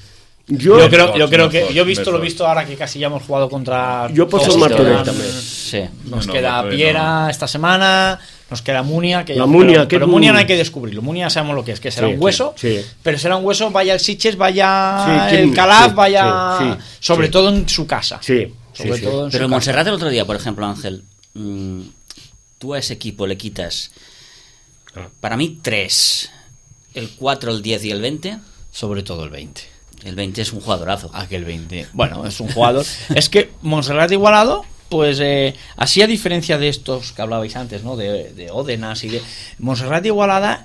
[SPEAKER 4] Yo, yo creo, yo creo que yo he visto lo visto ahora que casi ya hemos jugado contra.
[SPEAKER 2] Yo puedo el Martorell también.
[SPEAKER 1] Sí.
[SPEAKER 4] Nos
[SPEAKER 3] no,
[SPEAKER 4] queda
[SPEAKER 3] no,
[SPEAKER 4] Piera
[SPEAKER 3] no.
[SPEAKER 4] esta semana, nos queda Munia, que
[SPEAKER 2] la
[SPEAKER 4] ya,
[SPEAKER 2] Munia,
[SPEAKER 4] pero,
[SPEAKER 2] que
[SPEAKER 4] pero Munia no hay que descubrirlo. Munia sabemos lo que es, que será
[SPEAKER 2] sí,
[SPEAKER 4] un hueso,
[SPEAKER 2] sí, sí.
[SPEAKER 4] pero será un hueso, vaya el Sitges, vaya
[SPEAKER 2] sí,
[SPEAKER 4] el Calaf,
[SPEAKER 2] sí,
[SPEAKER 4] vaya
[SPEAKER 2] sí, sí,
[SPEAKER 4] sobre
[SPEAKER 2] sí.
[SPEAKER 4] todo en su casa.
[SPEAKER 2] Sí,
[SPEAKER 4] sobre
[SPEAKER 2] sí,
[SPEAKER 4] todo
[SPEAKER 2] sí.
[SPEAKER 4] en
[SPEAKER 1] Pero
[SPEAKER 4] su
[SPEAKER 1] el Montserrat
[SPEAKER 4] casa.
[SPEAKER 1] el otro día, por ejemplo, Ángel, mmm, tú a ese equipo le quitas ah. para mí tres, el cuatro, el diez y el veinte.
[SPEAKER 4] Sobre todo el veinte.
[SPEAKER 1] El veinte es un jugadorazo.
[SPEAKER 4] Aquel veinte. Bueno, es un jugador. Es que Montserrat Igualado, pues eh, así a diferencia de estos que hablabais antes, ¿no? De, de Ódenas y de. Montserrat Igualada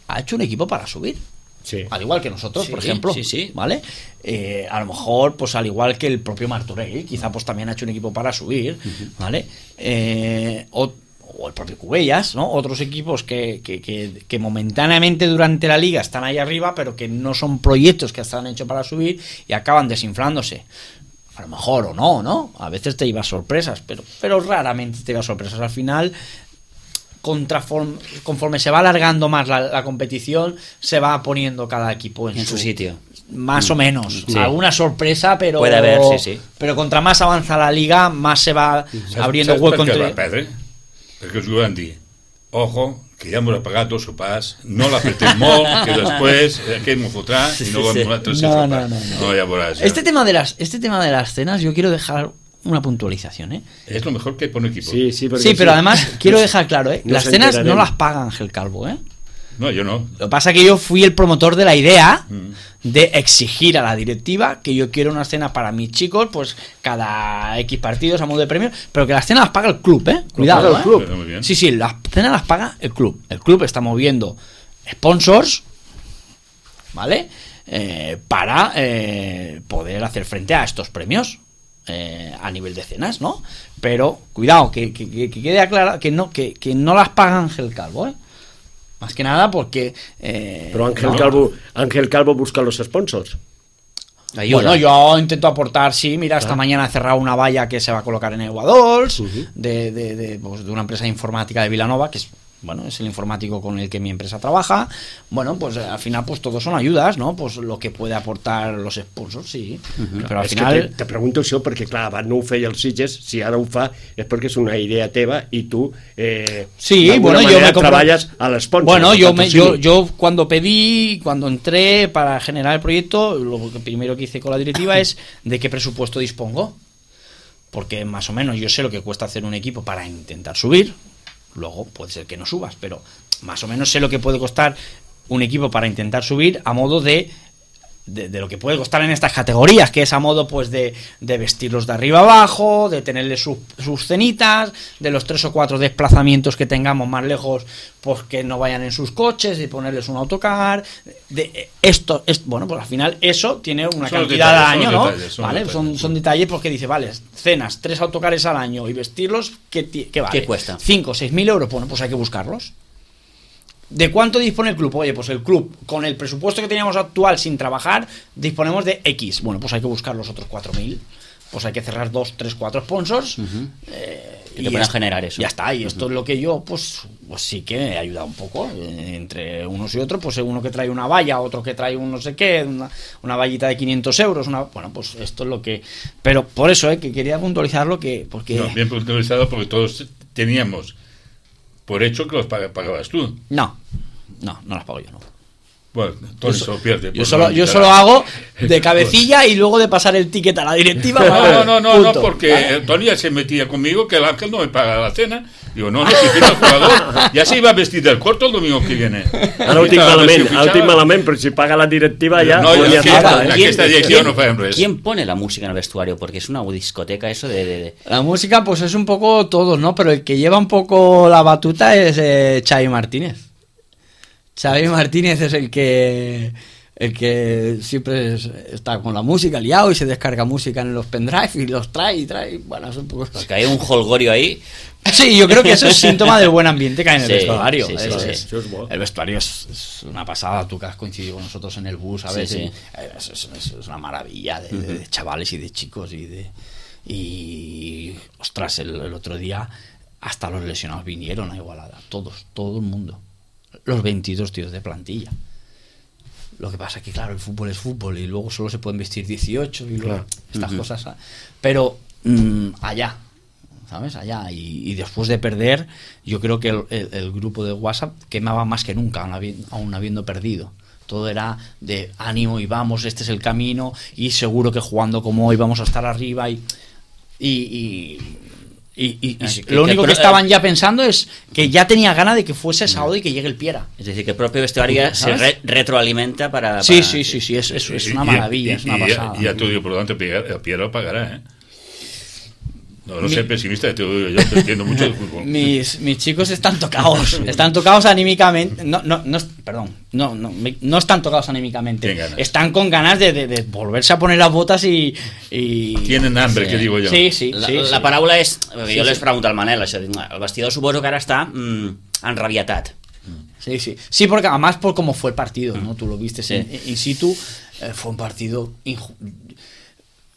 [SPEAKER 4] ha hecho un equipo para subir.
[SPEAKER 2] Sí.
[SPEAKER 4] Al igual que nosotros,
[SPEAKER 1] sí,
[SPEAKER 4] por ejemplo.
[SPEAKER 1] Sí, sí.
[SPEAKER 4] ¿Vale? Eh, a lo mejor, pues al igual que el propio Martorell, quizá pues también ha hecho un equipo para subir. Uh-huh. ¿Vale? Eh, o, o el propio Cubellas, ¿no? Otros equipos que, que, que, que momentáneamente durante la liga están ahí arriba, pero que no son proyectos que están hechos para subir y acaban desinflándose. A lo mejor o no, ¿no? A veces te llevas sorpresas, pero, pero raramente te llevas sorpresas. Al final, contraform, conforme se va alargando más la, la competición, se va poniendo cada equipo en,
[SPEAKER 1] en
[SPEAKER 4] su,
[SPEAKER 1] su sitio.
[SPEAKER 4] Más mm. o menos.
[SPEAKER 1] Sí.
[SPEAKER 4] Alguna sorpresa, pero...
[SPEAKER 1] Puede haber, sí, sí.
[SPEAKER 4] Pero contra más avanza la liga, más se va
[SPEAKER 3] ¿Sabes,
[SPEAKER 4] abriendo
[SPEAKER 3] ¿sabes
[SPEAKER 4] hueco
[SPEAKER 3] per què
[SPEAKER 4] entre...
[SPEAKER 3] va perdre? Perquè us ho van dir, ojo, que ja m'ho ha pagat dos sopars, no l'apretem molt, que després aquest m'ho fotrà i no vam donar tres
[SPEAKER 4] no,
[SPEAKER 3] sopars.
[SPEAKER 4] No, no, no.
[SPEAKER 3] no, ja veuràs. Ja.
[SPEAKER 4] Este tema de las, este tema de las cenas, yo quiero dejar una puntualización, ¿eh?
[SPEAKER 3] Es lo mejor que hay por un equipo.
[SPEAKER 2] Sí, sí,
[SPEAKER 4] Sí, pero además quiero dejar claro, ¿eh?
[SPEAKER 2] No
[SPEAKER 4] Las
[SPEAKER 2] se
[SPEAKER 4] cenas
[SPEAKER 2] enterarán.
[SPEAKER 4] no las paga Ángel Calvo, ¿eh?
[SPEAKER 3] No, yo no.
[SPEAKER 4] Lo que pasa es que yo fui el promotor de la idea
[SPEAKER 3] Mm.
[SPEAKER 4] de exigir a la directiva que yo quiero una cena para mis chicos, pues cada X partidos a modo de premio, pero que las cenas las paga el club, ¿eh? Cuidado,
[SPEAKER 2] paga el
[SPEAKER 4] ¿eh?
[SPEAKER 2] club.
[SPEAKER 3] Pero muy bien.
[SPEAKER 4] Sí, sí, las cenas las paga el club. El club está moviendo sponsors, ¿vale? Eh, para eh, poder hacer frente a estos premios eh, a nivel de cenas, ¿no? Pero cuidado, que, que, que quede aclarado que no, que, que no las paga Ángel Calvo, ¿eh? Más que nada porque... eh,
[SPEAKER 2] Pero Ángel
[SPEAKER 4] no.
[SPEAKER 2] Calvo, Ángel Calvo busca los sponsors.
[SPEAKER 1] Ayuda.
[SPEAKER 4] Bueno, yo intento aportar, sí, mira, esta mañana he cerrado una valla que se va a colocar en Eguadols,
[SPEAKER 2] Ujú.
[SPEAKER 4] de, de, de, pues, de una empresa informática de Vilanova, que es, bueno, es el informático con el que mi empresa trabaja. Bueno, pues eh, al final pues todos son ayudas, ¿no? Pues lo que puede aportar los sponsors, sí. Però al
[SPEAKER 2] És
[SPEAKER 4] final...
[SPEAKER 2] que te, te pregunto això perquè, clar, abans no ho feia el Sitges, si ara ho fa és perquè és una idea teva i tu eh,
[SPEAKER 4] Sí,
[SPEAKER 2] d'alguna
[SPEAKER 4] bueno, yo
[SPEAKER 2] manera
[SPEAKER 4] me compro...
[SPEAKER 2] treballes a l'esponsor.
[SPEAKER 4] Bueno,
[SPEAKER 2] al
[SPEAKER 4] yo, me, yo,
[SPEAKER 2] patrocini.
[SPEAKER 4] yo cuando pedí, cuando entré para generar el proyecto, lo que primero que hice con la directiva es de qué presupuesto dispongo. Porque más o menos yo sé lo que cuesta hacer un equipo para intentar subir. Luego puede ser que no subas, pero más o menos sé lo que puede costar un equipo para intentar subir a modo de... De, de lo que puede costar en estas categorías, que es a modo pues de, de vestirlos de arriba abajo, de tenerles sus, sus cenitas, de los tres o cuatro desplazamientos que tengamos más lejos, pues que no vayan en sus coches, de ponerles un autocar, de esto, es, bueno, pues al final eso tiene una
[SPEAKER 3] Son los
[SPEAKER 4] cantidad al
[SPEAKER 3] detalles,
[SPEAKER 4] año,
[SPEAKER 3] son
[SPEAKER 4] ¿no?
[SPEAKER 3] los detalles, son
[SPEAKER 4] ¿Vale?
[SPEAKER 3] los
[SPEAKER 4] Son,
[SPEAKER 3] detalles.
[SPEAKER 4] son detalles porque dice, vale, cenas, tres autocares al año y vestirlos, ¿qué, ti- qué vale?
[SPEAKER 1] ¿Qué cuesta?
[SPEAKER 4] Cinco, seis mil euros, bueno, pues hay que buscarlos. ¿De cuánto dispone el club? Oye, pues el club, con el presupuesto que teníamos actual sin trabajar, disponemos de X. Bueno, pues hay que buscar los otros cuatro mil. Pues hay que cerrar dos, tres, cuatro sponsors.
[SPEAKER 1] Ujú.
[SPEAKER 4] eh,
[SPEAKER 1] Que te puedan
[SPEAKER 4] esto-
[SPEAKER 1] generar eso.
[SPEAKER 4] Ya está, y esto es lo que yo, pues, pues sí que he ayudado un poco. eh, entre unos y otros, pues uno que trae una valla, otro que trae un no sé qué, una, una vallita de quinientos euros. Una, bueno, pues esto es lo que... Pero por eso, eh, que quería puntualizarlo, que porque...
[SPEAKER 3] No, bien puntualizado porque todos teníamos por hecho que los pag- pagabas tú.
[SPEAKER 4] No, no, no las pago yo, no.
[SPEAKER 3] Bueno, Tony se lo pierde.
[SPEAKER 4] Yo
[SPEAKER 3] pues
[SPEAKER 4] solo,
[SPEAKER 3] no
[SPEAKER 4] yo
[SPEAKER 3] quitará.
[SPEAKER 4] solo hago de cabecilla y luego de pasar el ticket a la directiva.
[SPEAKER 3] No,
[SPEAKER 4] ¿vale?
[SPEAKER 3] no, no, no,
[SPEAKER 4] Punto.
[SPEAKER 3] no, porque
[SPEAKER 4] ¿Vale?
[SPEAKER 3] eh, Tony ya se metía conmigo que el Ángel no me paga la cena. Digo, no, no, si tiene el jugador. Ya se iba a vestir del corto el domingo que viene.
[SPEAKER 2] Ara ho tinc
[SPEAKER 3] Ahorita, a ver si
[SPEAKER 2] malament, ara ho tinc
[SPEAKER 3] fitxava.
[SPEAKER 2] malament, però si paga la directiva ja...
[SPEAKER 3] No,
[SPEAKER 2] pues
[SPEAKER 3] jo
[SPEAKER 2] ja
[SPEAKER 3] és que
[SPEAKER 2] està,
[SPEAKER 3] ara-
[SPEAKER 2] eh?
[SPEAKER 3] aquí aquesta direcció no fem res.
[SPEAKER 1] ¿Quién pone la música en el vestuario? Porque es una discoteca eso de... de, de-
[SPEAKER 4] La música, pues es un poco todos, ¿no? Pero el que lleva un poco la batuta es eh, Xavi Martínez. Xavi Martínez es el que el que siempre es- está con la música liado y se descarga música en los pendrive y los trae y trae. Bueno, es un poco...
[SPEAKER 1] Porque hay un holgorio ahí.
[SPEAKER 4] Sí, yo creo que eso es síntoma del buen ambiente que hay en el
[SPEAKER 1] Sí,
[SPEAKER 4] vestuario.
[SPEAKER 1] sí, sí,
[SPEAKER 4] Eso
[SPEAKER 1] sí.
[SPEAKER 4] es.
[SPEAKER 2] Això és bo.
[SPEAKER 4] El vestuario es, es una pasada. Tú que has coincidido con nosotros en el bus, ¿sabes?
[SPEAKER 1] Sí, sí.
[SPEAKER 4] Y, eh, Es, es- es- es una maravilla de, de- de chavales y de chicos y de y ostras, el, el otro día hasta los lesionados vinieron a Igualada, todos, todo el mundo, los veintidós tíos de plantilla. Lo que pasa es que claro, el fútbol es fútbol y luego solo se pueden vestir dieciocho y luego
[SPEAKER 2] Claro.
[SPEAKER 4] estas
[SPEAKER 1] Ujú.
[SPEAKER 4] cosas, ¿sabes? Pero mm, allá, ¿sabes? Allá. Y, y después de perder, yo creo que el, el- el grupo de WhatsApp quemaba más que nunca, aún habi- aún habiendo perdido. Todo era de ánimo y vamos, este es el camino y seguro que jugando como hoy vamos a estar arriba y... y, y y- y- y
[SPEAKER 1] Así que-
[SPEAKER 4] lo
[SPEAKER 1] que
[SPEAKER 4] único
[SPEAKER 1] pro-
[SPEAKER 4] que estaban ya pensando es que ya tenía ganas de que fuese sábado y que llegue el Piera.
[SPEAKER 1] Es decir, que el propio vestuario se
[SPEAKER 4] ¿Sabes?
[SPEAKER 1] re- retroalimenta para...
[SPEAKER 4] Sí,
[SPEAKER 1] para-
[SPEAKER 4] sí, sí, sí, es, es, es
[SPEAKER 3] Y-
[SPEAKER 4] una
[SPEAKER 3] y-
[SPEAKER 4] maravilla,
[SPEAKER 3] y-
[SPEAKER 4] es una
[SPEAKER 3] y ya-
[SPEAKER 4] pasada.
[SPEAKER 3] Y ya te digo, por lo tanto, el Piero lo pagará, ¿eh? No, no
[SPEAKER 4] Mi-
[SPEAKER 3] sé pesimista, te lo digo yo, te entiendo mucho de fútbol.
[SPEAKER 4] Mis, mis chicos están tocados, están tocados anímicamente, no, no, no, perdón, no, no, me- no están tocados anímicamente,
[SPEAKER 3] Tienen ganas.
[SPEAKER 4] están con ganas de, de- de volverse a poner las botas y... y...
[SPEAKER 3] Tienen hambre,
[SPEAKER 1] Sí.
[SPEAKER 3] que digo yo.
[SPEAKER 4] Sí, sí,
[SPEAKER 1] La,
[SPEAKER 4] sí,
[SPEAKER 1] la
[SPEAKER 4] sí.
[SPEAKER 1] paraula és... Jo
[SPEAKER 4] Sí,
[SPEAKER 1] les
[SPEAKER 4] sí.
[SPEAKER 1] pregunto al Manel, això, dic, el vestidor suposo que ara està mm, enrabietat.
[SPEAKER 4] Sí, sí. Sí, porque además por cómo fue el partido, ¿no? Tú lo viste
[SPEAKER 1] Sí.
[SPEAKER 4] in, in situ, eh, fue un partido... inju-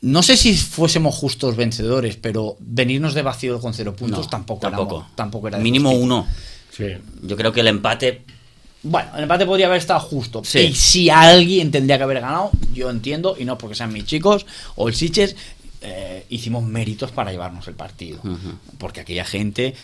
[SPEAKER 4] No sé si fuésemos justos vencedores, pero venirnos de vacío con cero puntos
[SPEAKER 1] No,
[SPEAKER 4] tampoco,
[SPEAKER 1] tampoco.
[SPEAKER 4] éramos- tampoco era de
[SPEAKER 1] Mínimo
[SPEAKER 4] justicia.
[SPEAKER 1] uno.
[SPEAKER 2] Sí.
[SPEAKER 1] Yo creo que el empate...
[SPEAKER 4] Bueno, el empate podría haber estado justo.
[SPEAKER 1] Sí.
[SPEAKER 4] Y si alguien tendría que haber ganado, yo entiendo, y no porque sean mis chicos o el Sitges, eh, hicimos méritos para llevarnos el partido.
[SPEAKER 1] Ujú.
[SPEAKER 4] Porque aquella gente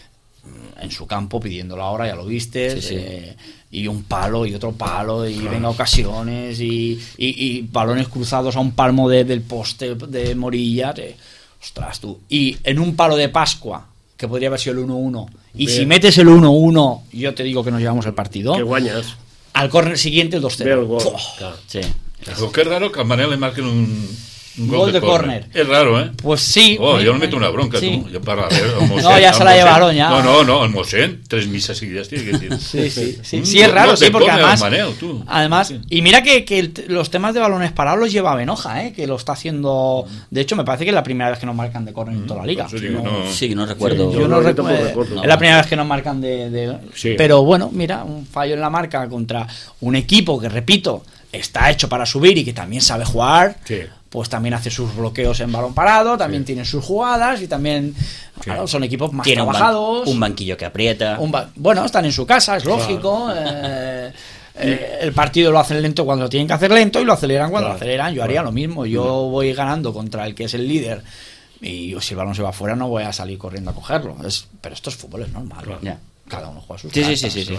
[SPEAKER 4] mm, en su campo pidiendo la hora, ya lo viste,
[SPEAKER 1] Sí, sí.
[SPEAKER 4] eh, y un palo y otro palo, y venga ocasiones, y, y- y balones cruzados a un palmo de- del poste de Morillas. eh. ostras tú, y en un palo de Pascua, que podría haber sido el uno uno, y
[SPEAKER 2] Bien.
[SPEAKER 4] si metes el uno uno, yo te digo que nos llevamos el partido,
[SPEAKER 2] Que guanyes.
[SPEAKER 4] al córner siguiente el dos
[SPEAKER 2] Ve el
[SPEAKER 4] cero.
[SPEAKER 2] gol.
[SPEAKER 4] Uf,
[SPEAKER 2] Clar.
[SPEAKER 1] Sí.
[SPEAKER 3] Pero qué raro que al Manel le marquen un, un gol,
[SPEAKER 4] Gol
[SPEAKER 3] de,
[SPEAKER 4] de
[SPEAKER 3] córner.
[SPEAKER 4] córner.
[SPEAKER 3] Es raro, ¿eh?
[SPEAKER 4] pues sí.
[SPEAKER 3] Oh,
[SPEAKER 4] me-
[SPEAKER 3] yo no meto una bronca,
[SPEAKER 4] sí.
[SPEAKER 3] tú. Yo para ver, el Mossèn,
[SPEAKER 4] No, ya se
[SPEAKER 3] el
[SPEAKER 4] la
[SPEAKER 3] Mossèn.
[SPEAKER 4] llevaron, ya.
[SPEAKER 3] No, no, no, el Mossèn, tres misas seguidas tiene que decir.
[SPEAKER 4] Sí, sí, sí,
[SPEAKER 3] Un
[SPEAKER 4] sí, es
[SPEAKER 3] gol
[SPEAKER 4] raro,
[SPEAKER 3] de
[SPEAKER 4] sí, porque
[SPEAKER 3] córner al
[SPEAKER 4] además,
[SPEAKER 3] Manel, tú.
[SPEAKER 4] además,
[SPEAKER 3] Sí.
[SPEAKER 4] y mira que, que el- los temas de balones parados los lleva Benoja, ¿eh? Que lo está haciendo, de hecho me parece que es la primera vez que nos marcan de córner en toda la liga.
[SPEAKER 3] Por eso digo,
[SPEAKER 4] No-
[SPEAKER 3] no.
[SPEAKER 1] Sí, no recuerdo.
[SPEAKER 2] Sí,
[SPEAKER 4] Yo no
[SPEAKER 2] yo tampoco
[SPEAKER 4] recuerdo,
[SPEAKER 2] recuerdo.
[SPEAKER 4] es la primera vez que nos marcan de, de-
[SPEAKER 2] Sí.
[SPEAKER 4] pero bueno, mira, un fallo en la marca contra un equipo que, repito, está hecho para subir y que también sabe jugar.
[SPEAKER 2] Sí.
[SPEAKER 4] Pues también hace sus bloqueos en balón parado, también tiene sus jugadas y también claro, son equipos más
[SPEAKER 1] Tiene un, ban-
[SPEAKER 4] trabajados.
[SPEAKER 1] un banquillo que aprieta.
[SPEAKER 4] Un ba- bueno, están en su casa, es lógico. eh, eh, el partido lo hacen lento cuando lo tienen que hacer lento y lo aceleran cuando
[SPEAKER 2] Claro,
[SPEAKER 4] lo aceleran. Yo haría lo mismo. Yo voy ganando contra el que es el líder y si el balón se va afuera no voy a salir corriendo a cogerlo. Es, pero esto es fútbol, es normal.
[SPEAKER 1] Ya.
[SPEAKER 4] Cada uno juega sus
[SPEAKER 1] Sí, sí,
[SPEAKER 4] cartas.
[SPEAKER 1] sí, sí, sí.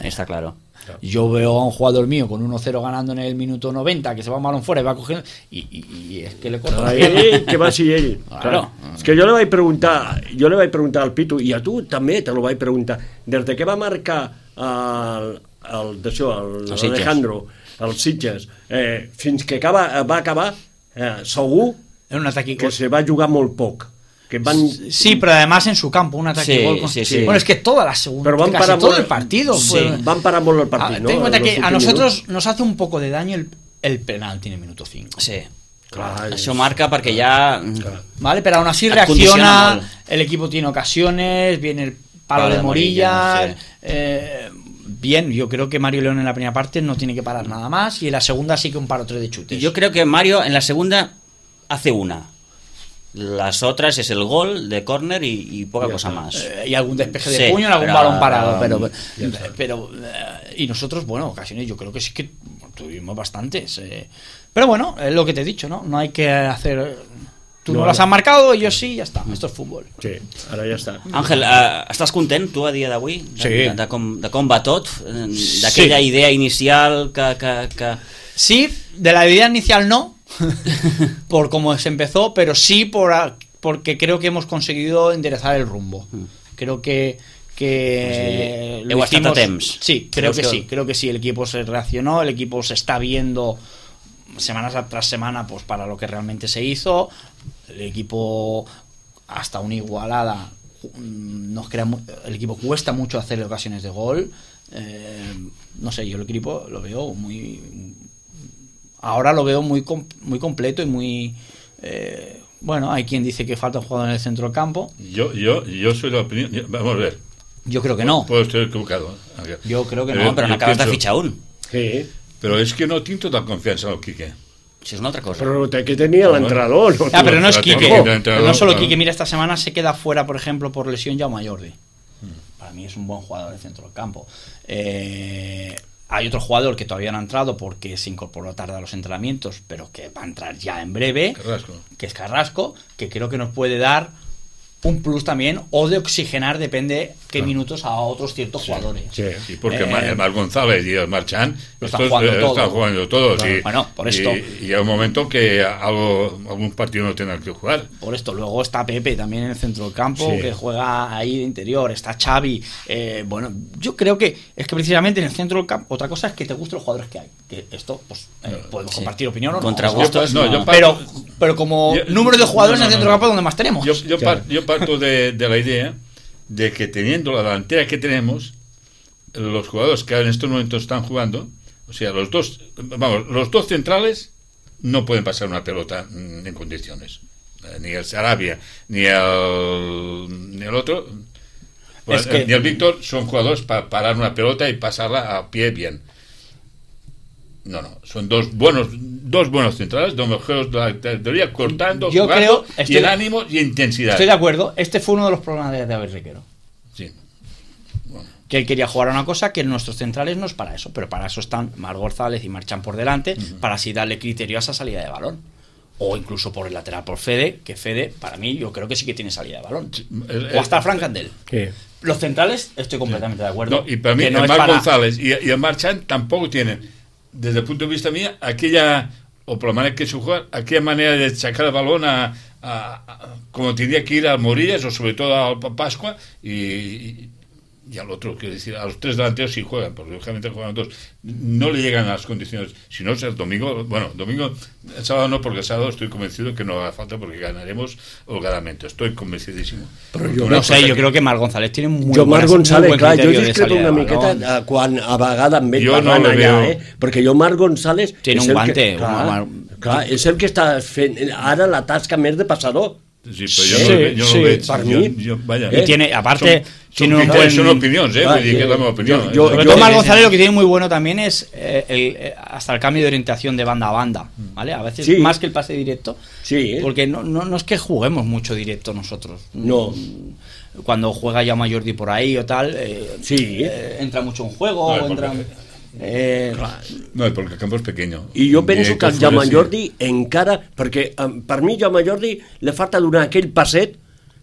[SPEAKER 1] Está claro.
[SPEAKER 4] Yo veo a un jugador mío con uno cero ganando en el minuto noventa, que se va un balón fuera y va cogiendo. Y, y- y es que le corto la pierna.
[SPEAKER 2] Ell, que va ser ell.
[SPEAKER 4] Claro.
[SPEAKER 2] Clar. És que jo li vaig preguntar, jo li vaig preguntar al Pitu, i a tu també te lo vaig preguntar, des de que va marcar el, el, d'això, el,
[SPEAKER 1] El Sitges.
[SPEAKER 2] Alejandro, el Sitges, eh, fins que acaba, va acabar, eh, segur
[SPEAKER 4] En un ataque
[SPEAKER 2] que se va jugar molt poc. Que van...
[SPEAKER 4] Sí, pero además en su campo, un ataque
[SPEAKER 1] Sí,
[SPEAKER 4] gol con-
[SPEAKER 1] sí, sí.
[SPEAKER 4] Bueno, es que toda la segunda,
[SPEAKER 2] Pero van
[SPEAKER 4] casi
[SPEAKER 2] para
[SPEAKER 4] todo
[SPEAKER 2] molt-
[SPEAKER 4] el partido.
[SPEAKER 2] Sí,
[SPEAKER 4] fue-
[SPEAKER 2] van parar molt el
[SPEAKER 4] Ah,
[SPEAKER 2] partit, no?
[SPEAKER 4] ten en cuenta
[SPEAKER 2] En los
[SPEAKER 4] que a
[SPEAKER 2] últimos
[SPEAKER 4] nosotros
[SPEAKER 2] minuts.
[SPEAKER 4] nos hace un poco de daño el, el penalti en el minuto cinco.
[SPEAKER 1] Sí.
[SPEAKER 2] Clar,
[SPEAKER 1] Això
[SPEAKER 2] és-
[SPEAKER 1] marca perquè ja...
[SPEAKER 4] ¿Vale? Pero aún así
[SPEAKER 1] Et condiciona
[SPEAKER 4] reacciona,
[SPEAKER 1] molt.
[SPEAKER 4] el equipo tiene ocasiones, viene el palo
[SPEAKER 1] Palo
[SPEAKER 4] de
[SPEAKER 1] de
[SPEAKER 4] Morilla.
[SPEAKER 1] Morilla, sí.
[SPEAKER 4] eh, bien, yo creo que Mario León en la primera parte no tiene que parar nada más y en la segunda sí que un paro tres de chutes.
[SPEAKER 1] Yo creo que Mario en la segunda hace una. Las otras es el gol de córner y, y poca cosa más.
[SPEAKER 4] Eh, y algún despeje de
[SPEAKER 1] Sí,
[SPEAKER 4] puño en algún
[SPEAKER 1] pero-
[SPEAKER 4] balón parado, pero,
[SPEAKER 1] Ya
[SPEAKER 4] pero, eh, y nosotros, bueno, ocasiones yo creo que sí que tuvimos bastantes. eh. Pero bueno, es lo que te he dicho, ¿no? No hay que hacer. Tú no,
[SPEAKER 2] No,
[SPEAKER 4] las
[SPEAKER 2] no.
[SPEAKER 4] has marcado, yo sí, ya está. Esto es fútbol.
[SPEAKER 2] Sí, ara ja està.
[SPEAKER 1] Àngel, eh, estàs content tu a dia d'avui? De,
[SPEAKER 4] Sí.
[SPEAKER 1] de, de, com, de com va tot? Eh, D'aquella
[SPEAKER 4] Sí.
[SPEAKER 1] idea inicial que... que, que...
[SPEAKER 4] Sí, de la idea inicial no, por cómo se empezó, pero sí por a- porque creo que hemos conseguido enderezar el rumbo. Creo que que
[SPEAKER 1] Pues sí, heu estat a temps.
[SPEAKER 4] Sí, creo
[SPEAKER 1] Creus
[SPEAKER 4] que
[SPEAKER 1] que-
[SPEAKER 4] sí, creo que sí, el equipo se reaccionó, el equipo se está viendo semanas tras semana pues para lo que realmente se hizo, el equipo hasta una igualada mm, nos crea mu- el equipo cuesta mucho hacer ocasiones de gol. Eh, no sé, yo el equipo lo veo muy ahora lo veo muy com- muy completo y muy eh, bueno, hay quien dice que falta un jugador en el centro del campo.
[SPEAKER 3] Yo, yo, yo soy la opinión. yo- vamos a ver.
[SPEAKER 4] Yo creo que no.
[SPEAKER 3] Puedo estar equivocado. ¿eh? Ángel.
[SPEAKER 4] Yo creo que
[SPEAKER 3] Pero
[SPEAKER 4] no,
[SPEAKER 1] No, però
[SPEAKER 3] jo
[SPEAKER 1] n'acabes de
[SPEAKER 3] penso-
[SPEAKER 1] fitxar un.
[SPEAKER 2] Sí,
[SPEAKER 3] Però és que no tinc tota la confiança en el Quique.
[SPEAKER 1] Això és una altra cosa.
[SPEAKER 2] però té que tenir l'entrenador. No?
[SPEAKER 4] Ah, pero no es
[SPEAKER 3] la
[SPEAKER 4] Quique.
[SPEAKER 3] técnica del entrenador,
[SPEAKER 4] No solo
[SPEAKER 3] claro.
[SPEAKER 4] Quique. Mira, esta semana se queda fuera, por ejemplo, por lesión Jaume Jordi. Para mí es un buen jugador del centro del campo. Eh, hay otro jugador que todavía no ha entrado porque se incorporó tarde a los entrenamientos, pero que va a entrar ya en breve,
[SPEAKER 3] Carrasco.
[SPEAKER 4] que es Carrasco, que creo que nos puede dar un plus también, o de oxigenar, depende qué minutos, a otros ciertos jugadores.
[SPEAKER 2] Sí.
[SPEAKER 3] Sí, porque
[SPEAKER 4] Eh,
[SPEAKER 3] el Mar González y el Marchán
[SPEAKER 4] lo están
[SPEAKER 3] estos,
[SPEAKER 4] jugando
[SPEAKER 3] eh,
[SPEAKER 4] todo.
[SPEAKER 3] están jugando todos.
[SPEAKER 4] Claro.
[SPEAKER 3] Y,
[SPEAKER 4] Bueno, por esto.
[SPEAKER 3] Y, y hay un momento que algo, algún partido no tendrán que jugar.
[SPEAKER 4] Por esto, luego está Pepe también en el centro del campo,
[SPEAKER 2] Sí.
[SPEAKER 4] que juega ahí de interior, está Xavi. eh, bueno, yo creo que es que precisamente en el centro del campo, otra cosa es que te gusten los jugadores que hay. Que esto, pues, eh, podemos
[SPEAKER 1] Sí.
[SPEAKER 4] compartir opinión o no.
[SPEAKER 1] Contra
[SPEAKER 4] Eso-
[SPEAKER 1] gustos,
[SPEAKER 3] no,
[SPEAKER 1] no.
[SPEAKER 3] yo
[SPEAKER 4] pero, pero como
[SPEAKER 3] Yo-
[SPEAKER 4] número de jugadores
[SPEAKER 3] no, no,
[SPEAKER 4] en el centro
[SPEAKER 3] no,
[SPEAKER 4] del campo
[SPEAKER 3] no.
[SPEAKER 4] donde más tenemos.
[SPEAKER 3] Yo, yo,
[SPEAKER 2] Claro.
[SPEAKER 3] par- yo parto de, de la idea de que teniendo la delantera que tenemos, los jugadores que en estos momentos están jugando, o sea, los dos, vamos, los dos centrales no pueden pasar una pelota mm, en condiciones. Eh, Ni el Sarabia, ni el, ni el otro, bueno,
[SPEAKER 4] Es que-
[SPEAKER 3] eh, ni el Víctor son jugadores para parar una pelota y pasarla a pie bien. No, no, son dos buenos, dos buenos centrales, dos mejores de la teoría, cortando,
[SPEAKER 4] Yo
[SPEAKER 3] jugando,
[SPEAKER 4] creo-
[SPEAKER 3] y
[SPEAKER 4] estoy-
[SPEAKER 3] el ánimo y intensidad.
[SPEAKER 4] Estoy de acuerdo. Este fue uno de los problemas de David Requero.
[SPEAKER 3] Sí.
[SPEAKER 4] Que él quería jugar a una cosa que nuestros centrales no es para eso, pero para eso están Mar González y Marchán por delante, para así darle criterio a esa salida de balón. O incluso por el lateral por Fede, que Fede, para mí, yo creo que sí que tiene salida de balón.
[SPEAKER 3] el-
[SPEAKER 4] O hasta Frank Candel.
[SPEAKER 2] Sí.
[SPEAKER 4] Los centrales, estoy completamente de acuerdo.
[SPEAKER 3] No, y para mí,
[SPEAKER 4] que no
[SPEAKER 3] el
[SPEAKER 4] es
[SPEAKER 3] Marc
[SPEAKER 4] para-
[SPEAKER 3] González y, y el Marchand tampoco tienen, desde el punto de vista mío, aquella, o por la manera que se juega, aquella manera de sacar el balón a, a, a, como tendría que ir al Morillas o sobre todo al Pascua y, y y al otro, quiero decir, a los tres delanteros sí juegan, porque lógicamente juegan dos, no le llegan a las condiciones. Si no, es el domingo, bueno, domingo, el sábado no, porque el sábado estoy convencido que no haga falta porque ganaremos holgadamente, estoy convencidísimo.
[SPEAKER 4] Però jo no sé, jo crec que Marc González tiene muy
[SPEAKER 2] jo Marc González,
[SPEAKER 4] muy
[SPEAKER 2] clar, jo
[SPEAKER 4] criterio de
[SPEAKER 2] discrepo
[SPEAKER 4] salida
[SPEAKER 2] una
[SPEAKER 4] de
[SPEAKER 2] miqueta
[SPEAKER 4] balón.
[SPEAKER 2] quan a vegades amb ell
[SPEAKER 3] Jo no
[SPEAKER 2] parlant
[SPEAKER 3] le
[SPEAKER 2] allà,
[SPEAKER 3] veo.
[SPEAKER 2] eh? Perquè jo Marc González
[SPEAKER 4] Tiene
[SPEAKER 2] és
[SPEAKER 4] un
[SPEAKER 2] el
[SPEAKER 4] guante,
[SPEAKER 2] que,
[SPEAKER 4] un
[SPEAKER 2] clar,
[SPEAKER 4] mar-
[SPEAKER 2] clar, és el que està fent ara la tasca més de passador.
[SPEAKER 3] Sí, però jo
[SPEAKER 4] Sí,
[SPEAKER 3] no, jo no
[SPEAKER 4] sí,
[SPEAKER 3] ho veig.
[SPEAKER 2] per
[SPEAKER 3] jo,
[SPEAKER 2] mi.
[SPEAKER 3] jo, vaya,
[SPEAKER 4] Y tiene, aparte,
[SPEAKER 3] Son,
[SPEAKER 4] tiene
[SPEAKER 3] son,
[SPEAKER 4] un
[SPEAKER 3] criteris,
[SPEAKER 4] buen...
[SPEAKER 3] son opinions, eh?
[SPEAKER 2] Ah,
[SPEAKER 3] Vull dir que és la meva opinió.
[SPEAKER 2] jo-
[SPEAKER 3] eh?
[SPEAKER 2] jo-
[SPEAKER 4] Sobre todo Marc González lo que tiene muy bueno también es eh, el, eh, hasta el cambio de orientación de banda a banda, ¿vale? A veces
[SPEAKER 2] Sí.
[SPEAKER 4] más que el pase directo,
[SPEAKER 2] Sí,
[SPEAKER 4] porque no, no, no es que juguemos mucho directo nosotros.
[SPEAKER 2] No.
[SPEAKER 4] Cuando juega Jaume Jordi por ahí o tal, eh,
[SPEAKER 2] Sí.
[SPEAKER 4] eh, entra mucho en juego,
[SPEAKER 3] No,
[SPEAKER 4] o entra...
[SPEAKER 3] porque-
[SPEAKER 4] Eh,
[SPEAKER 3] No, perquè el campo és pequeño.
[SPEAKER 2] I jo penso
[SPEAKER 3] I
[SPEAKER 2] que el
[SPEAKER 3] fuera
[SPEAKER 2] Jaume
[SPEAKER 3] sí.
[SPEAKER 2] Jordi encara, perquè um, per mi Jaume Jordi li falta donar aquell passet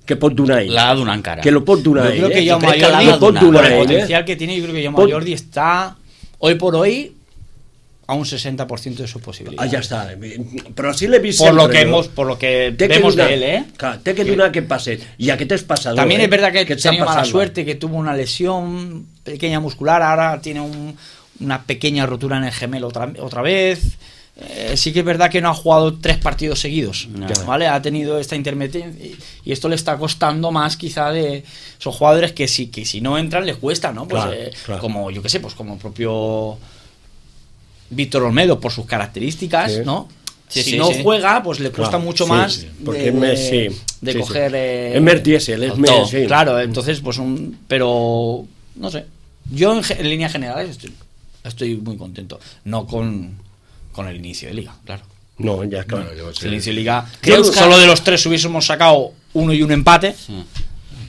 [SPEAKER 2] que pot donar ell.
[SPEAKER 1] L'ha de donar encara.
[SPEAKER 2] Que lo pot donar
[SPEAKER 4] yo
[SPEAKER 2] ell.
[SPEAKER 4] creo que
[SPEAKER 2] eh?
[SPEAKER 4] Jaume
[SPEAKER 1] creo que la
[SPEAKER 4] Jordi,
[SPEAKER 1] ha de
[SPEAKER 2] pot
[SPEAKER 1] donar.
[SPEAKER 2] donar
[SPEAKER 4] por el
[SPEAKER 2] ell, eh?
[SPEAKER 4] potencial que tiene, yo creo que Jaume
[SPEAKER 2] Pot-
[SPEAKER 4] Jordi está hoy por hoy a un sesenta por ciento de sus
[SPEAKER 2] Ah,
[SPEAKER 4] posibilidades.
[SPEAKER 2] ja està. Però sí l'he vist
[SPEAKER 4] por
[SPEAKER 2] sempre.
[SPEAKER 4] lo que
[SPEAKER 2] no?
[SPEAKER 4] hemos, por lo que
[SPEAKER 2] Té que
[SPEAKER 4] vemos
[SPEAKER 2] donar,
[SPEAKER 4] de él, ¿eh?
[SPEAKER 2] Clar, té que donar aquest passet. I aquest és passador.
[SPEAKER 4] También
[SPEAKER 2] eh?
[SPEAKER 4] es verdad que,
[SPEAKER 2] que està
[SPEAKER 4] tenía mala
[SPEAKER 2] passant-la.
[SPEAKER 4] suerte, que tuvo una lesión pequeña muscular, ahora tiene un- una pequeña rotura en el gemelo otra, otra vez. Eh, sí que es verdad que no ha jugado tres partidos seguidos,
[SPEAKER 1] No.
[SPEAKER 4] ¿vale? Ha tenido esta intermitencia y, y esto le está costando más quizá de esos jugadores que si, que si no entran les cuesta, ¿no? Pues
[SPEAKER 2] Claro,
[SPEAKER 4] eh,
[SPEAKER 2] claro.
[SPEAKER 4] como yo que sé, pues como el propio Víctor Olmedo por sus características,
[SPEAKER 2] Sí.
[SPEAKER 4] ¿no?
[SPEAKER 1] Sí,
[SPEAKER 4] si
[SPEAKER 1] sí,
[SPEAKER 4] no
[SPEAKER 1] sí.
[SPEAKER 4] juega, pues le cuesta
[SPEAKER 2] Claro,
[SPEAKER 4] mucho
[SPEAKER 2] sí,
[SPEAKER 4] más
[SPEAKER 2] sí,
[SPEAKER 4] de,
[SPEAKER 2] porque es més, sí,
[SPEAKER 4] de
[SPEAKER 2] sí, sí.
[SPEAKER 4] coger eh,
[SPEAKER 2] Es més diésel, es
[SPEAKER 4] el
[SPEAKER 2] més,
[SPEAKER 4] to.
[SPEAKER 2] sí.
[SPEAKER 4] Claro, entonces pues un pero no sé. Yo en, ge- en líneas generales estoy, estoy muy contento, no con con el inicio de liga, claro.
[SPEAKER 2] No, ja, clar.
[SPEAKER 3] Bueno, jo
[SPEAKER 4] Si
[SPEAKER 3] sé.
[SPEAKER 4] el inicio de liga
[SPEAKER 1] ¿Crees
[SPEAKER 4] yo
[SPEAKER 1] que-
[SPEAKER 4] solo de los tres hubiésemos sacado uno y un empate,
[SPEAKER 1] Sí.
[SPEAKER 4] son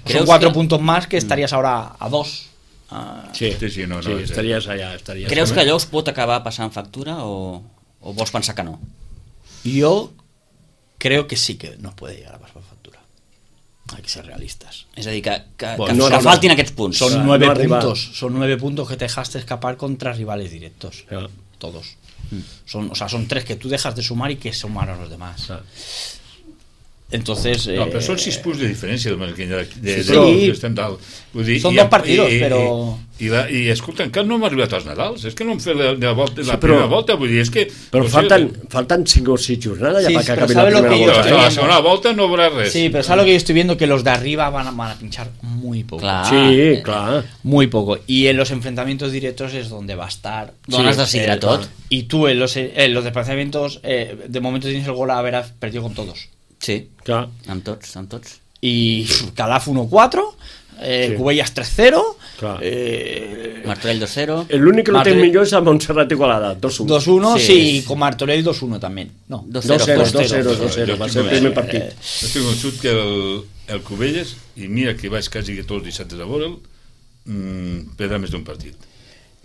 [SPEAKER 1] ¿Crees
[SPEAKER 4] cuatro
[SPEAKER 1] que-
[SPEAKER 4] puntos más que estarías ahora a dos. a-
[SPEAKER 2] Sí,
[SPEAKER 3] Sí, sí, no, no,
[SPEAKER 2] sí,
[SPEAKER 3] és-
[SPEAKER 2] estaries allà, estaries
[SPEAKER 1] Creus
[SPEAKER 2] allà.
[SPEAKER 1] que allò us pot acabar passant factura o, o vols pensar que no?
[SPEAKER 4] Yo creo que sí que nos puede llegar a pasar factura. Hay que ser realistas.
[SPEAKER 1] És a dir, que, que,
[SPEAKER 4] Bueno,
[SPEAKER 1] que,
[SPEAKER 2] no,
[SPEAKER 1] que
[SPEAKER 2] no, no.
[SPEAKER 1] faltin aquests punts.
[SPEAKER 4] Son
[SPEAKER 2] Claro,
[SPEAKER 4] nueve
[SPEAKER 2] no arriba.
[SPEAKER 4] puntos, son nueve puntos que te dejaste escapar contra rivales directos.
[SPEAKER 2] Claro.
[SPEAKER 4] Todos. Son, o sea, son tres que tú dejas de sumar y que sumaron los demás.
[SPEAKER 2] Claro.
[SPEAKER 4] Entonces.
[SPEAKER 3] No, però
[SPEAKER 4] eh,
[SPEAKER 3] són sis punts de diferència de, de, de, de,
[SPEAKER 4] Sí,
[SPEAKER 3] de
[SPEAKER 4] però-
[SPEAKER 3] que estem dalt. Vull dir,
[SPEAKER 4] Són
[SPEAKER 3] i-
[SPEAKER 4] dos partidos,
[SPEAKER 3] i,
[SPEAKER 4] però-
[SPEAKER 3] I, i, la, i escolta, encara no hem arribat als Nadals. És que no hem fet la, la, volta, la
[SPEAKER 2] Sí, però-
[SPEAKER 3] primera volta. Vull dir, és que...
[SPEAKER 2] Però
[SPEAKER 3] no sé,
[SPEAKER 2] falten, falten cinc o sis jornades ja
[SPEAKER 4] Sí,
[SPEAKER 2] perquè
[SPEAKER 4] però
[SPEAKER 2] acabi la
[SPEAKER 4] ¿sabe lo
[SPEAKER 2] primera
[SPEAKER 4] que yo
[SPEAKER 3] Però
[SPEAKER 2] volta.
[SPEAKER 3] hasta
[SPEAKER 4] estoy
[SPEAKER 3] la
[SPEAKER 2] eh?
[SPEAKER 3] segona volta no haurà res.
[SPEAKER 4] Sí, pero ¿sabes lo que yo estoy viendo? Que los de arriba van a, van a pinchar muy poco.
[SPEAKER 1] Clar.
[SPEAKER 2] Sí, clar.
[SPEAKER 4] Muy poco. Y en los enfrentamientos directos es donde va a estar.
[SPEAKER 1] D'on has de decidre
[SPEAKER 4] Eh,
[SPEAKER 1] tot.
[SPEAKER 4] Y tú en los, en los desplazamientos, eh, de momento tienes el gol a haber perdido con todos.
[SPEAKER 1] Sí,
[SPEAKER 2] Clar.
[SPEAKER 1] amb tots, amb tots.
[SPEAKER 4] Y Calaf uno cuatro, eh,
[SPEAKER 2] Sí.
[SPEAKER 4] Cubellas tres cero,
[SPEAKER 2] Clar.
[SPEAKER 4] eh,
[SPEAKER 1] Martorell dos cero.
[SPEAKER 2] L'únic que no té
[SPEAKER 4] Martorell-
[SPEAKER 2] millor és el Montserrat Igualada, dos uno.
[SPEAKER 4] dos uno,
[SPEAKER 1] Sí,
[SPEAKER 4] sí,
[SPEAKER 1] sí.
[SPEAKER 4] con Martorell dos uno también. No,
[SPEAKER 1] dos
[SPEAKER 2] dos cero,
[SPEAKER 1] cero.
[SPEAKER 2] dos cero, dos cero, va ser el primer partit.
[SPEAKER 3] Estic convençut que el, el Cubelles, i mira que vaig quasi tots els dissabtes a veure'l, mmm, perdrà més d'un partit.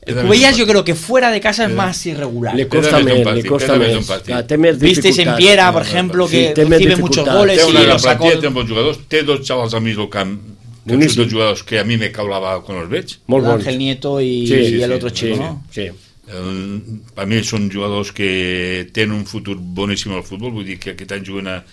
[SPEAKER 4] El Cubellas yo creo que fuera de casa es más irregular.
[SPEAKER 2] Le costa
[SPEAKER 3] Queda més
[SPEAKER 2] més,
[SPEAKER 3] d'un
[SPEAKER 2] li
[SPEAKER 3] partit,
[SPEAKER 2] costa
[SPEAKER 3] queda més
[SPEAKER 2] més.
[SPEAKER 3] d'un partit.
[SPEAKER 2] Clar, té més
[SPEAKER 4] Vistes en
[SPEAKER 2] dificultats.
[SPEAKER 4] Piera, por
[SPEAKER 3] Sí,
[SPEAKER 4] ejemplo,
[SPEAKER 2] sí,
[SPEAKER 4] que
[SPEAKER 2] té més
[SPEAKER 4] recibe muchos
[SPEAKER 2] dificultats.
[SPEAKER 4] goles
[SPEAKER 3] Té
[SPEAKER 4] y
[SPEAKER 3] una gran
[SPEAKER 4] lo sacó.
[SPEAKER 3] plantilla, té bons jugadors, té dos xavals al mig del camp, que són
[SPEAKER 2] Boníssim.
[SPEAKER 3] dos jugadors que a mi me caulava quan els veig.
[SPEAKER 2] Molt bons.
[SPEAKER 4] Ángel Nieto y,
[SPEAKER 2] Sí,
[SPEAKER 4] y
[SPEAKER 3] sí,
[SPEAKER 4] el
[SPEAKER 3] sí,
[SPEAKER 4] otro chico,
[SPEAKER 3] sí,
[SPEAKER 4] ¿no?
[SPEAKER 2] Sí.
[SPEAKER 3] El, per mi són jugadors que tenen un futur boníssim al futbol, vull dir que aquest any juguen a,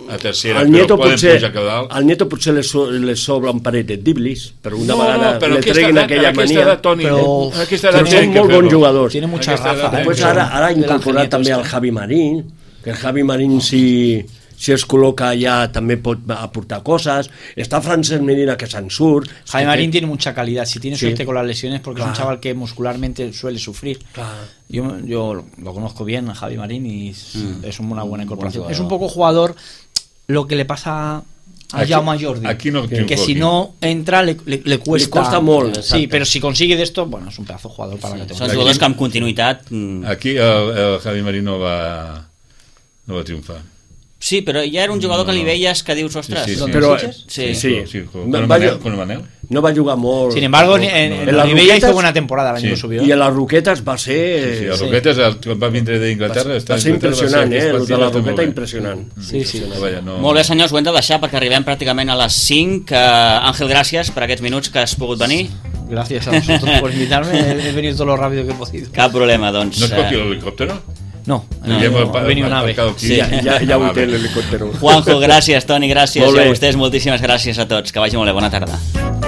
[SPEAKER 3] a tercera,
[SPEAKER 2] El
[SPEAKER 3] però
[SPEAKER 2] Nieto,
[SPEAKER 3] poden
[SPEAKER 2] potser,
[SPEAKER 3] pujar cada dalt.
[SPEAKER 2] al Nieto potser li, so, li sobra un parell de diblis, però una
[SPEAKER 3] No,
[SPEAKER 2] vegada
[SPEAKER 3] no, però
[SPEAKER 2] li
[SPEAKER 3] aquesta
[SPEAKER 2] treguin
[SPEAKER 3] edat-
[SPEAKER 2] aquella
[SPEAKER 3] aquesta
[SPEAKER 2] mania.
[SPEAKER 3] edat, Toni,
[SPEAKER 4] Però-
[SPEAKER 3] eh, aquesta
[SPEAKER 2] Però
[SPEAKER 3] edat
[SPEAKER 2] són
[SPEAKER 3] tenen que
[SPEAKER 2] molt bons
[SPEAKER 3] fer-ho.
[SPEAKER 2] jugadors.
[SPEAKER 4] Tiene mucha
[SPEAKER 3] Aquesta
[SPEAKER 4] raza.
[SPEAKER 3] edat,
[SPEAKER 4] ¿eh?
[SPEAKER 3] eh?
[SPEAKER 2] Pues ara, ara ha
[SPEAKER 4] El Ángel
[SPEAKER 2] incorporat
[SPEAKER 4] Nieto
[SPEAKER 2] també el
[SPEAKER 4] este.
[SPEAKER 2] Javi Marín, que el Javi Marín si, si es col·loca allà també pot aportar coses. Està Francesc Medina que se'n surt.
[SPEAKER 4] Jaime Marín tiene mucha calidad. Si tiene
[SPEAKER 2] Sí.
[SPEAKER 4] suerte con las lesiones, porque es un
[SPEAKER 2] Claro.
[SPEAKER 4] chaval que muscularmente suele sufrir.
[SPEAKER 2] Clar.
[SPEAKER 4] Yo, yo lo, lo conozco bien, a Javi Marín, y es,
[SPEAKER 1] Mm.
[SPEAKER 4] es una buena incorporación.
[SPEAKER 1] jugador.
[SPEAKER 4] Es un poco jugador lo que le pasa a
[SPEAKER 3] Aquí-
[SPEAKER 4] Jaume Jordi.
[SPEAKER 3] aquí no
[SPEAKER 4] que
[SPEAKER 3] triunfó
[SPEAKER 4] si
[SPEAKER 3] aquí.
[SPEAKER 4] no entra le, le, le cuesta.
[SPEAKER 2] Le costa molt,
[SPEAKER 4] Sí,
[SPEAKER 2] exacte.
[SPEAKER 4] pero si consigue de esto, bueno, es un pedazo de jugador para la
[SPEAKER 1] Són
[SPEAKER 4] categoría.
[SPEAKER 1] jugadors que amb continuïtat... mm,
[SPEAKER 3] Aquí el, el Javi Marín no va, no va triomfar.
[SPEAKER 1] Sí, però ja era un jugador que li veies que dius, ostres...
[SPEAKER 3] Sí, sí, sí.
[SPEAKER 2] Però,
[SPEAKER 4] Sitges?
[SPEAKER 1] Sí.
[SPEAKER 2] sí.
[SPEAKER 3] sí con,
[SPEAKER 2] Va-
[SPEAKER 3] con,
[SPEAKER 2] va-
[SPEAKER 3] el Manel, con el Manel.
[SPEAKER 2] No va jugar molt.
[SPEAKER 4] Sin embargo, en,
[SPEAKER 3] no,
[SPEAKER 4] en,
[SPEAKER 3] no.
[SPEAKER 4] en
[SPEAKER 2] En las
[SPEAKER 4] Olivella hizo
[SPEAKER 2] Roquetas-
[SPEAKER 4] buena temporada el año
[SPEAKER 3] Sí.
[SPEAKER 4] que subió.
[SPEAKER 2] I a les Roquetes va ser...
[SPEAKER 3] Sí, sí, el
[SPEAKER 4] sí.
[SPEAKER 3] Roquetes, el, quan va vindre d'Inglaterra...
[SPEAKER 2] va,
[SPEAKER 3] està
[SPEAKER 2] va ser
[SPEAKER 3] a Inglaterra,
[SPEAKER 2] impressionant,
[SPEAKER 3] va
[SPEAKER 2] eh?
[SPEAKER 3] ser
[SPEAKER 2] El de la
[SPEAKER 3] aquest
[SPEAKER 2] Roqueta
[SPEAKER 3] partit,
[SPEAKER 2] impressionant.
[SPEAKER 4] Sí, sí.
[SPEAKER 3] molt bé. Vaja, no...
[SPEAKER 1] Molt bé, senyors, ho hem de deixar perquè arribem pràcticament a les cinc. Uh, Àngel, gràcies per aquests minuts que has pogut venir.
[SPEAKER 4] Gracias a vosotros por invitarme. He, he venido todo lo rápido que he podido.
[SPEAKER 1] Cap problema, doncs.
[SPEAKER 3] No es
[SPEAKER 1] eh,
[SPEAKER 3] cogí l'helicòptero?
[SPEAKER 1] No,
[SPEAKER 3] No,
[SPEAKER 1] no,
[SPEAKER 3] ja
[SPEAKER 1] no.
[SPEAKER 3] va-
[SPEAKER 4] ha venido
[SPEAKER 3] va-
[SPEAKER 4] un ave.
[SPEAKER 3] va-
[SPEAKER 1] Sí.
[SPEAKER 2] Ja, ja, ja ho
[SPEAKER 3] Ah,
[SPEAKER 2] té
[SPEAKER 3] bé.
[SPEAKER 2] l'helicòptero.
[SPEAKER 1] Juanjo, gràcies, Toni, gràcies.
[SPEAKER 2] Molt
[SPEAKER 1] I a
[SPEAKER 2] bé.
[SPEAKER 1] vostès moltíssimes gràcies a tots. Que vagi molt bé, bona tarda.